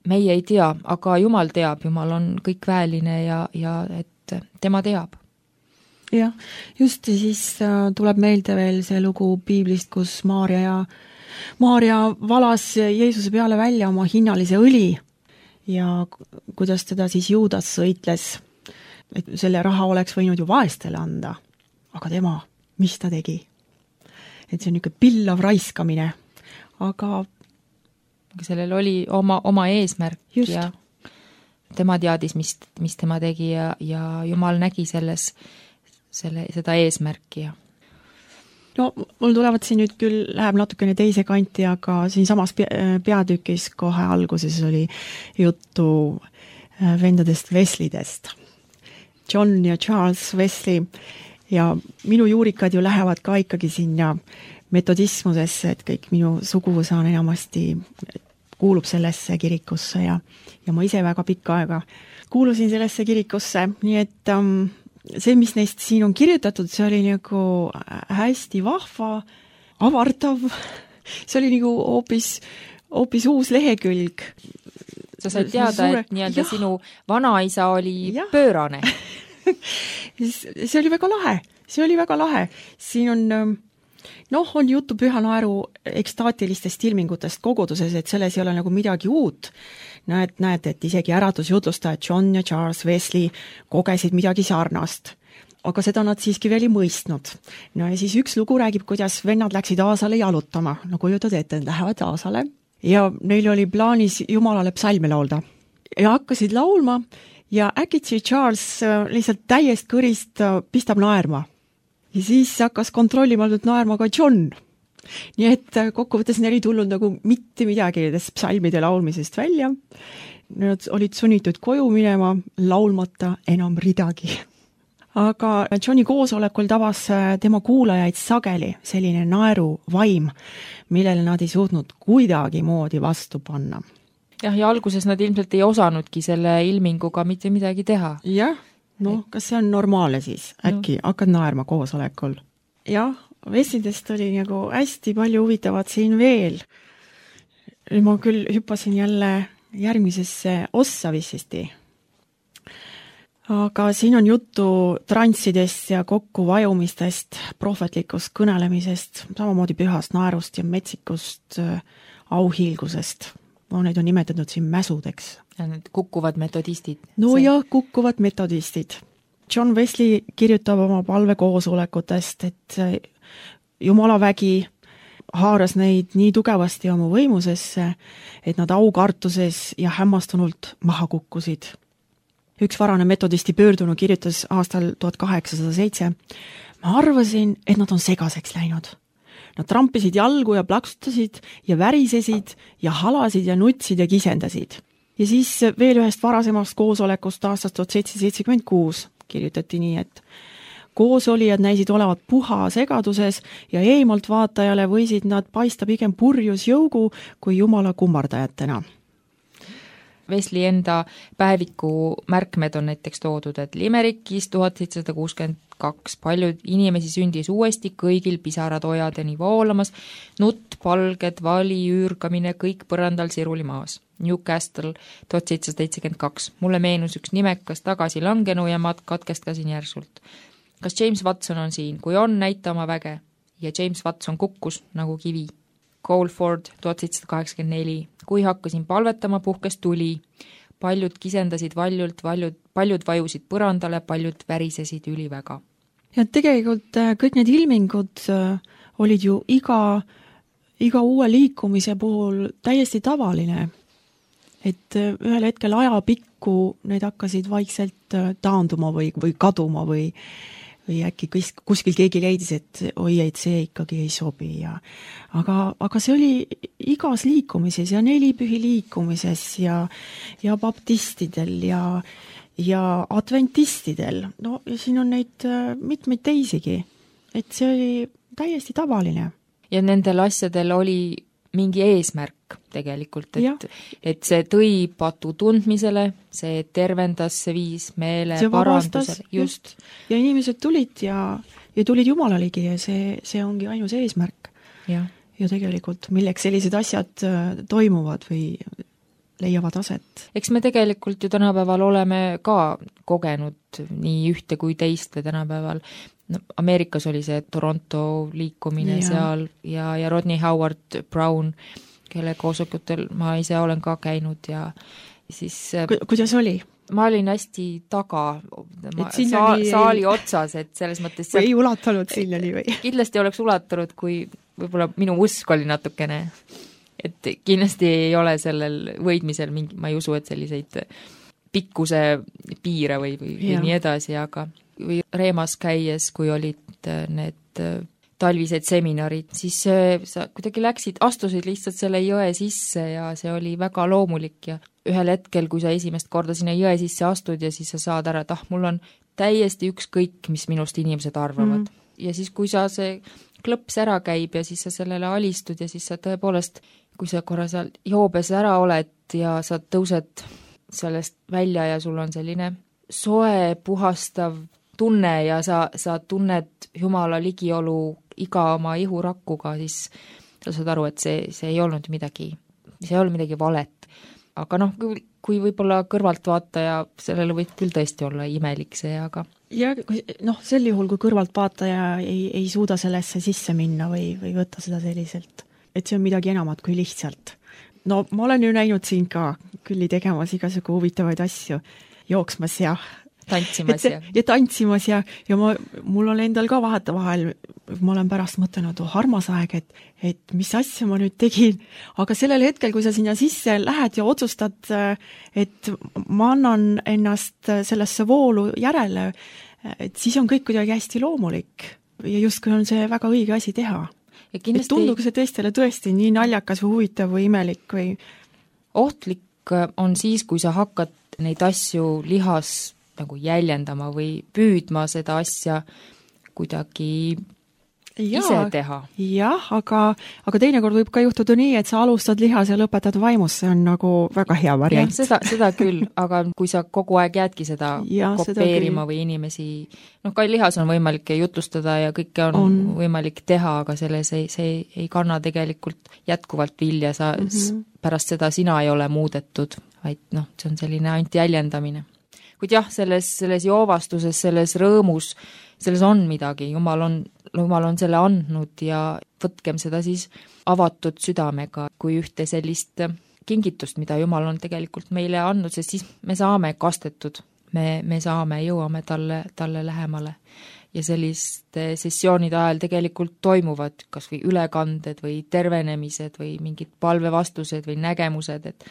Meie ei tea, aga Jumal teab, Jumal on kõikväeline ja et tema teab. Jah, just siis tuleb meelde veel see lugu piiblist, kus Maarja valas Jeesuse peale välja oma hinnalise õli ja kuidas teda siis Juudas sõitles, et selle raha oleks võinud ju vaestele anda, aga tema, mis ta tegi? Et see on niisugune pillav raiskamine, aga sellel oli oma eesmärk just. Ja tema teadis, mis tema tegi ja Jumal nägi seda eesmärki. No mul tulevad siin nüüd küll, läheb natukene teise kanti, aga siin samas peatükis kohe alguses oli juttu vendadest Weslidest. John ja Charles Wesley ja minu juurikad ju lähevad ka ikkagi sinna metodismusesse, et kõik minu suguvõsa on enamasti kuulub sellesse kirikusse ja ma ise väga pikka aega kuulusin sellesse kirikusse, nii et see, mis neist siin on kirjutatud, see oli nagu hästi vahva, avardav, see oli nagu hoopis uus lehekülg. Sa said teada, et nii-öelda sinu vanaisa oli pöörane. See oli väga lahe. Siin on juttu Püha Naeru ekstaatilistest ilmingutest koguduses, et selles ei ole nagu midagi uut. Näed, et isegi äratusjutlustajad John ja Charles Wesley kogesid midagi sarnast. Aga seda nad siiski veel ei mõistnud. No ja siis üks lugu räägib, kuidas vennad läksid Aasale jalutama. No kujutad ette, nad lähevad Aasale ja neil oli plaanis Jumalale psalme laulda. Ja hakkasid laulma ja äkitsi Charles lihtsalt täiest kõrist pistab naerma. Ja siis hakkas kontrollimatult naerma ka John. Nii et kokkuvõttes neil ei tulnud nagu mitte midagi nendest psalmide laulmisest välja. Nad olid sunnitud koju minema, laulmata enam ridagi. Aga Johni koosolekul tabas tema kuulajaid sageli selline naeru vaim, millele nad ei suutnud kuidagi moodi vastu panna. Ja alguses nad ilmselt ei osanudki selle ilminguga mitte midagi teha. Jah, kas see on normaalne siis? Äkki hakkad naerma koosolekul? Jah, Weslidest oli nagu hästi palju huvitavat siin veel. Ma küll hüppasin jälle järgmisesse ossa vissisti. Aga siin on juttu transsidest ja kokkuvajumistest, prohvetlikust kõnelemisest, samamoodi pühast naerust ja metsikust auhiilgusest. Neid on nimetatud siin mäsudeks. Ja need kukkuvad metodistid. Kukkuvad metodistid. John Wesley kirjutab oma palvekoosolekutest, et Jumala vägi haaras neid nii tugevasti oma võimusesse, et nad aukartuses ja hämmastunult maha kukkusid. Üks varane metodisti pöördunu kirjutas aastal 1807. Ma arvasin, et nad on segaseks läinud. Nad trampisid jalgu ja plaksutasid ja värisesid ja halasid ja nutsid ja kisendasid. Ja siis veel ühest varasemast koosolekust aastast 1776 kirjutati nii, et koosolijad näisid olevat puha segaduses ja eemalt vaatajale võisid nad paista pigem purjus jõugu kui Jumala kummardajatena. Wesley enda päeviku märkmed on näiteks toodud, et Limerickis 1762 paljud inimesi sündis uuesti, kõigil pisarad ojadeni voolamas, nutt, palged, vali, üürgamine, kõik põrandal siruli maas. Newcastle 1772. Mulle meenus üks nimekas tagasilangenu ja ma katkestasin järsult. Kas James Watson on siin? Kui on, näita oma väge. Ja James Watson kukkus nagu kivi. Coleford 1784. Kui hakkasin palvetama, puhkes tuli. paljud kisendasid valjult, paljud vajusid põrandale, paljud värisesid üliväga. Ja tegelikult kõik need ilmingud olid ju iga uue liikumise puhul täiesti tavaline. Et ühel hetkel ajapikku need hakkasid vaikselt taanduma või kaduma või äkki kuskil keegi leidis, et oi, et see ikkagi ei sobi. Aga see oli igas liikumises ja nelipühi liikumises ja baptistidel ja adventistidel. No ja siin on neid mitmeid teisigi. Et see oli täiesti tavaline. Ja nendel asjadel oli mingi eesmärk tegelikult, et see tõi patu tundmisele, see tervendas, see viis meele parandusele. Just. Ja inimesed tulid ja tulid Jumala ligi ja see ongi ainus eesmärk. Ja tegelikult milleks sellised asjad toimuvad või leiavad aset. Eks me tegelikult ju tänapäeval oleme ka kogenud nii ühte kui teist tänapäeval. Ameerikas oli see Toronto liikumine seal ja Rodney Howard Brown, kelle koosolekutel ma ise olen ka käinud ja siis... Kuidas oli? Ma olin hästi taga saali otsas, et selles mõttes... Või ei ulatanud sinnani või? Kindlasti oleks ulatanud, kui võib-olla minu usk oli natukene. Et kindlasti ei ole sellel võidmisel mingi, ma ei usu, et selliseid pikkuse piire või nii edasi, aga või Reemas käies, kui olid need talvised seminarid, siis sa kuidagi astusid lihtsalt selle jõe sisse ja see oli väga loomulik ja ühel hetkel, kui sa esimest korda sinna jõe sisse astud ja siis sa saad ära, et mul on täiesti ükskõik, mis minust inimesed arvavad. Ja siis, kui sa see klõps ära käib ja siis sa sellele alistud ja siis sa tõepoolest, kui sa korra seal joobes ära oled ja sa tõused sellest välja ja sul on selline soe, puhastav tunne ja sa tunned Jumala ligiolu iga oma ihurakkuga, siis sa saad aru, et see ei olnud midagi valet. Aga kui võib-olla kõrvaltvaataja, sellele võib küll tõesti olla imelik see, aga... Ja sel juhul, kui kõrvaltvaataja ei suuda sellesse sisse minna või võtta seda selliselt, et see on midagi enamat kui lihtsalt. Ma olen ju näinud siin ka külli tegemas igasugu huvitavaid asju, jooksmas ja tantsimas ja mul on endal ka vahetevahel, ma olen pärast mõtelnud, armas aeg, et mis asja ma nüüd tegin, aga sellel hetkel, kui sa sinna sisse lähed ja otsustad, et ma annan ennast sellesse voolu järele, et siis on kõik kuidagi hästi loomulik ja justkui on see väga õige asi teha. Et tundugu see teistele tõesti nii naljakas või huvitav või imelik või... Ohtlik on siis, kui sa hakkad neid asju lihas nagu jäljendama või püüdma seda asja kuidagi ise teha. Jah, aga teinekord võib ka juhtuda nii, et sa alustad lihas ja lõpetad vaimus, see on nagu väga hea variant. Seda küll, aga kui sa kogu aeg jäädki seda kopeerima või inimesi, ka lihas on võimalik jutlustada ja kõike on võimalik teha, aga see ei kanna tegelikult jätkuvalt vilja, pärast seda sina ei ole muudetud, vaid see on selline ainult jäljendamine. Kuid jah, selles joovastuses, selles rõõmus, selles on midagi, Jumal on selle andnud ja võtkem seda siis avatud südamega kui ühte sellist kingitust, mida Jumal on tegelikult meile andnud, sest siis me saame kastetud, me jõuame talle lähemale. Ja selliste sessioonide ajal tegelikult toimuvad kas või ülekanded või tervenemised või mingid palvevastused või nägemused, et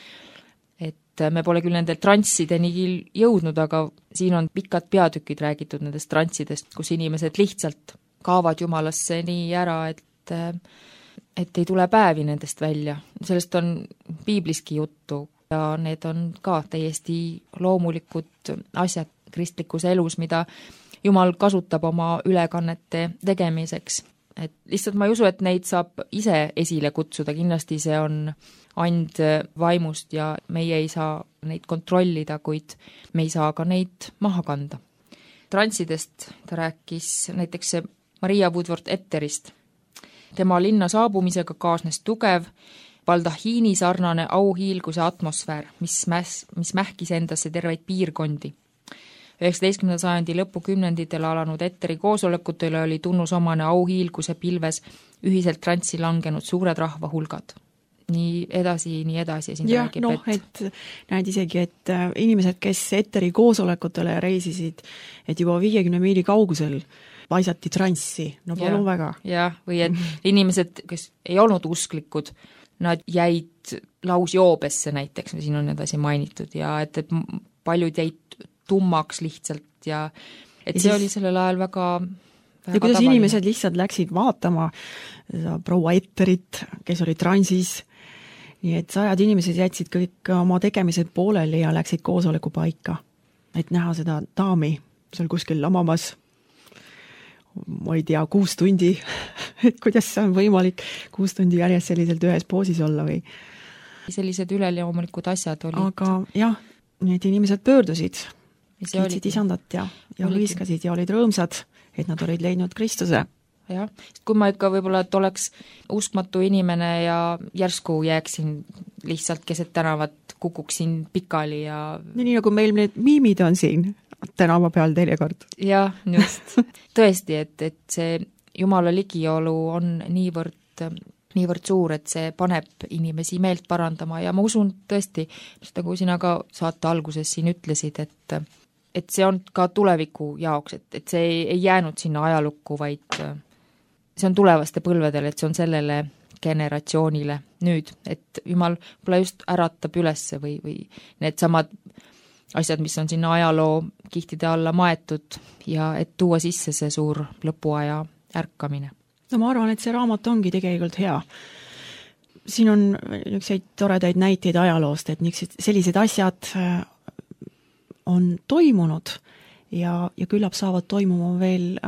me pole küll nendel transideni jõudnud, aga siin on pikad peatükid räägitud nendest transidest, kus inimesed lihtsalt kaavad Jumalasse nii ära, et ei tule päevi nendest välja. Sellest on piibliski juttu ja need on ka täiesti loomulikud asjad kristlikus elus, mida Jumal kasutab oma ülekannete tegemiseks. Et lihtsalt ma ei usu, et neid saab ise esile kutsuda, kindlasti see on and vaimust ja meie ei saa neid kontrollida, kuid me ei saa ka neid maha kanda. Transidest ta rääkis näiteks Maria Woodworth Etterist. Tema linna saabumisega kaasnes tugev, baldahiini sarnane auhiilguse atmosfäär, mis mähkis endasse terveid piirkondi. 19. sajandi lõpukümnenditel alanud Etteri koosolekutele oli tunnusomane auhiilguse pilves ühiselt trantsi langenud suured rahvahulgad. nii edasi ja siin jah, räägib, noh, et näed isegi, et inimesed, kes Eteri koosolekutele reisisid, et juba 50 miili kaugusel paisati transsi, no palun väga. jah, või et inimesed, kes ei olnud usklikud, nad jäid lausjoobesse näiteks, siin on edasi mainitud, ja et paljud jäid tummaks lihtsalt ja et see oli sellel ajal väga ja kuidas tavaline. Inimesed lihtsalt läksid vaatama proua Etterit, kes oli transis, nii et 100 inimesed jätsid kõik oma tegemised pooleli ja läksid koosoleku paika, et näha seda daami seal kuskil lamamas, ma ei tea, 6 tundi, et kuidas see on võimalik 6 tundi järjest selliselt ühes poosis olla või? Sellised üleloomulikud asjad olid. Aga jah, need inimesed pöördusid, kiitsid isandat ja hõiskasid ja olid rõõmsad, et nad olid leidnud Kristuse. Jah, kui ma ikka võib-olla, et oleks uskmatu inimene ja järsku jääksin lihtsalt keset tänavat, kukuksin pikali ja nii nagu meil need miimid on siin tänava peal teinekord. jah, just. Tõesti, et see Jumala ligiolu on niivõrd suur, et see paneb inimesi meelt parandama ja ma usun tõesti, nagu sina ka saate alguses siin ütlesid, et see on ka tuleviku jaoks, et see ei jäänud sinna ajalukku, vaid see on tulevaste põlvedele, et see on sellele generatsioonile nüüd, et Jumal võib-olla just äratab ülesse või need samad asjad, mis on sinna ajaloo kihtide alla maetud ja et tuua sisse see suur lõpuaja ärkamine. No ma arvan, et see raamat ongi tegelikult hea. Siin on niisuguseid toredaid näiteid ajaloost, et sellised asjad on toimunud ja küllap saavad toimuma veel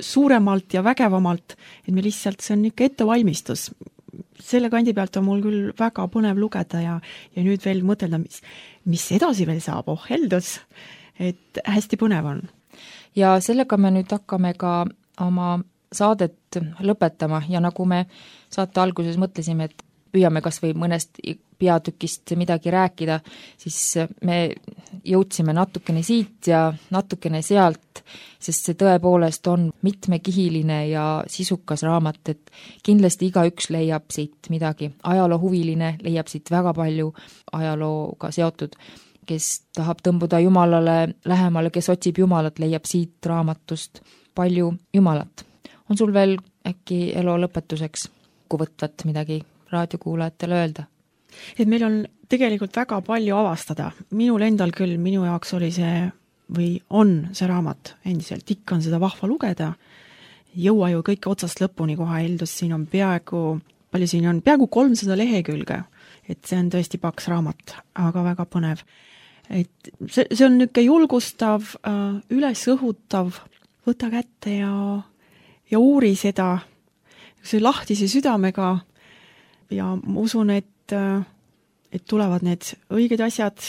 suuremalt ja vägevamalt, et me lihtsalt, see on ikka ettevalmistus. Selle kandi pealt on mul küll väga põnev lugeda ja nüüd veel mõtelda, mis edasi veel saab, heldus, et hästi põnev on. Ja sellega me nüüd hakkame ka oma saadet lõpetama ja nagu me saate alguses mõtlesime, et püüame kas või mõnest peatükist midagi rääkida, siis me jõudsime natukene siit ja natukene sealt, sest see tõepoolest on mitmekihiline ja sisukas raamat, et kindlasti igaüks leiab siit midagi. Ajaloohuviline leiab siit väga palju ajalooga seotud, kes tahab tõmbuda Jumalale lähemale, kes otsib Jumalat, leiab siit raamatust palju Jumalat. On sul veel äkki elu lõpetuseks võtvat midagi raadiokuulajatele öelda? Et meil on tegelikult väga palju avastada. Minul endal küll, minu jaoks oli see või on see raamat endiselt, ikka on seda vahva lugeda. Jõua ju kõike otsast lõpuni koha heldus, siin on peaaegu 300 lehekülge, et see on tõesti paks raamat, aga väga põnev. Et see on niisugune julgustav, ülesõhutav, võta kätte ja uuri seda, see lahtise südamega ja ma usun, et tulevad need õiged asjad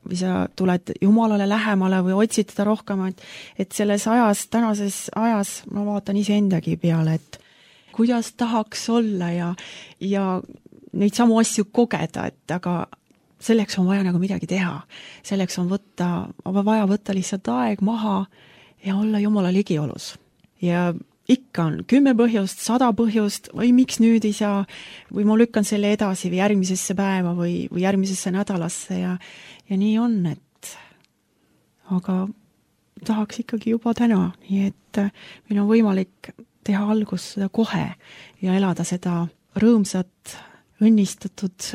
või sa tuled Jumalale lähemale või otsid teda rohkem, et selles ajas, tänases ajas ma vaatan iseendagi peale, et kuidas tahaks olla ja neid samu asju kogeda, et aga selleks on vaja nagu midagi teha. Selleks on vaja võtta lihtsalt aeg maha ja olla Jumala ligiolus. Ja ikka on 10 põhjust, 100 põhjust või miks nüüd ei saa või ma lükkan selle edasi või järgmisesse päeva või järgmisesse nädalasse ja nii on, et aga tahaks ikkagi juba täna, nii et meil on võimalik teha algus seda kohe ja elada seda rõõmsat, õnnistatud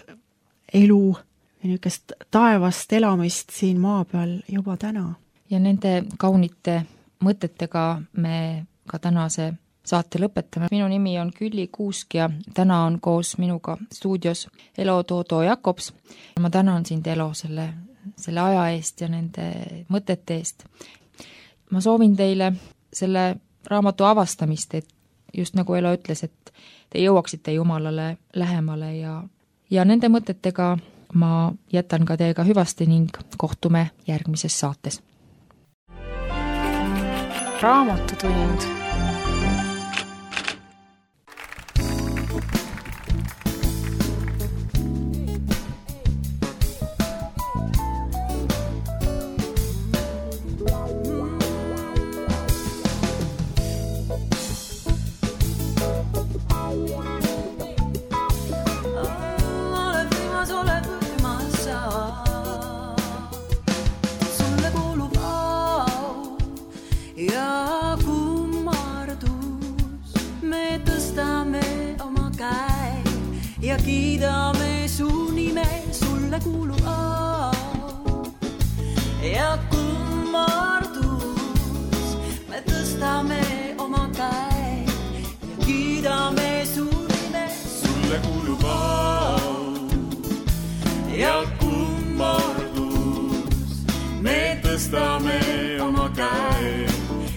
elu ja niisugust taevast elamist siin maa peal juba täna. Ja nende kaunite mõtetega me ka tänase saate lõpetame. Minu nimi on Külli Kuusk ja täna on koos minuga stuudios Elo Toodo Jakobs. Ma tänan sind, Elo, selle aja eest ja nende mõtete eest. Ma soovin teile selle raamatu avastamist, et just nagu Elo ütles, et te jõuaksite Jumalale lähemale ja nende mõtetega ma jätan ka teiega hüvasti ning kohtume järgmises saates. Raamatutund. ja kummardus. Me tõstame oma käe ja kiidame su nime, sulle kuulub au. Ja kummardus, me tõstame oma käe ja kiidame su nime, sulle kuulub au. Ja kummardus, me tõstame oma käe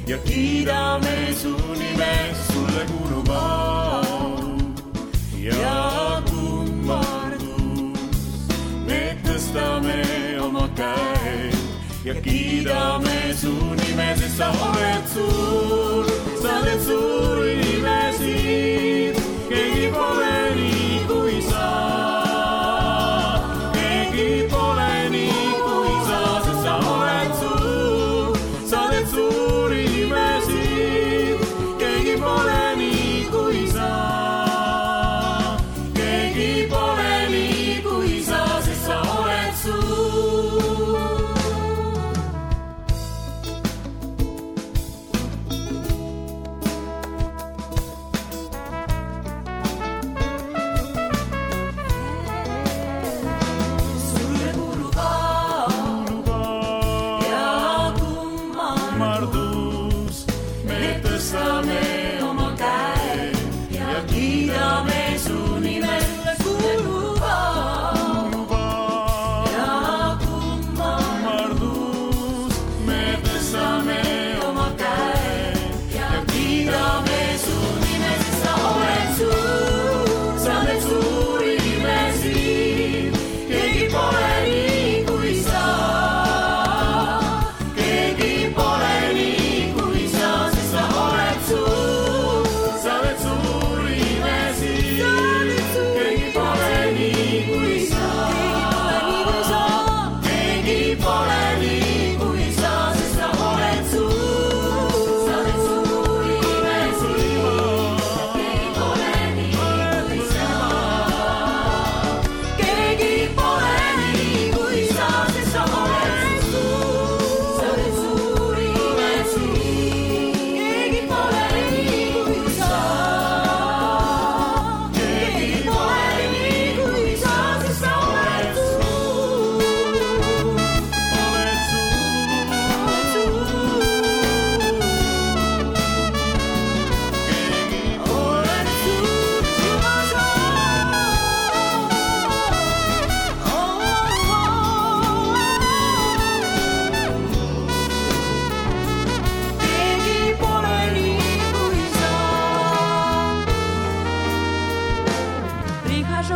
ja kiidame su nime, sulle kuulub au. Ja kummardus, me tõstame oma käe ja kiidame su nime, sest sa oled suur, sa oled suuri nimesid, keegi pole nii kui sa. Keegi pole nii kui sa, sest sa oled suur, sa oled suuri nimesid, keegi pole nii kui sa. Keegi pole nii kui sa, sest sa oled suur.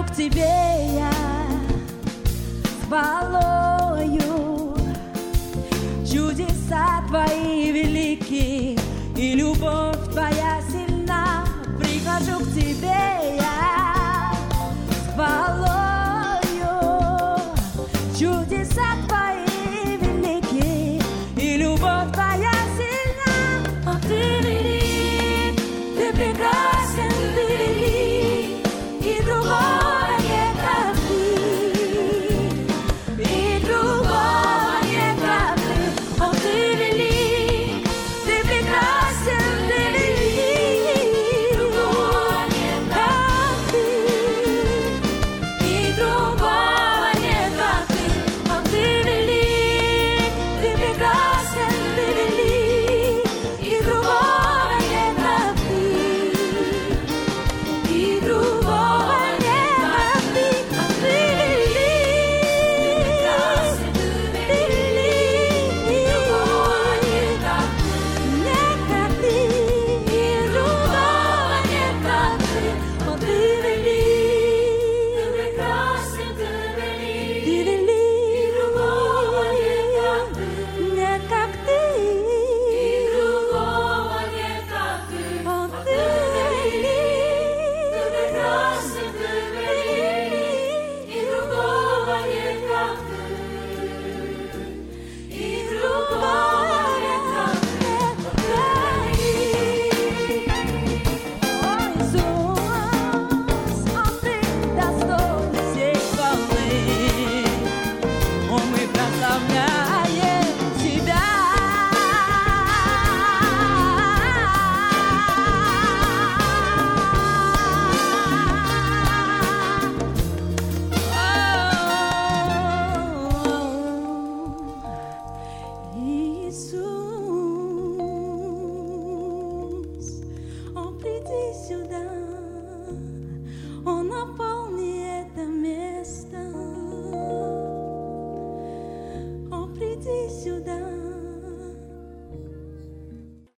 К тебе я с хвалою, чудеса твои велики и любовь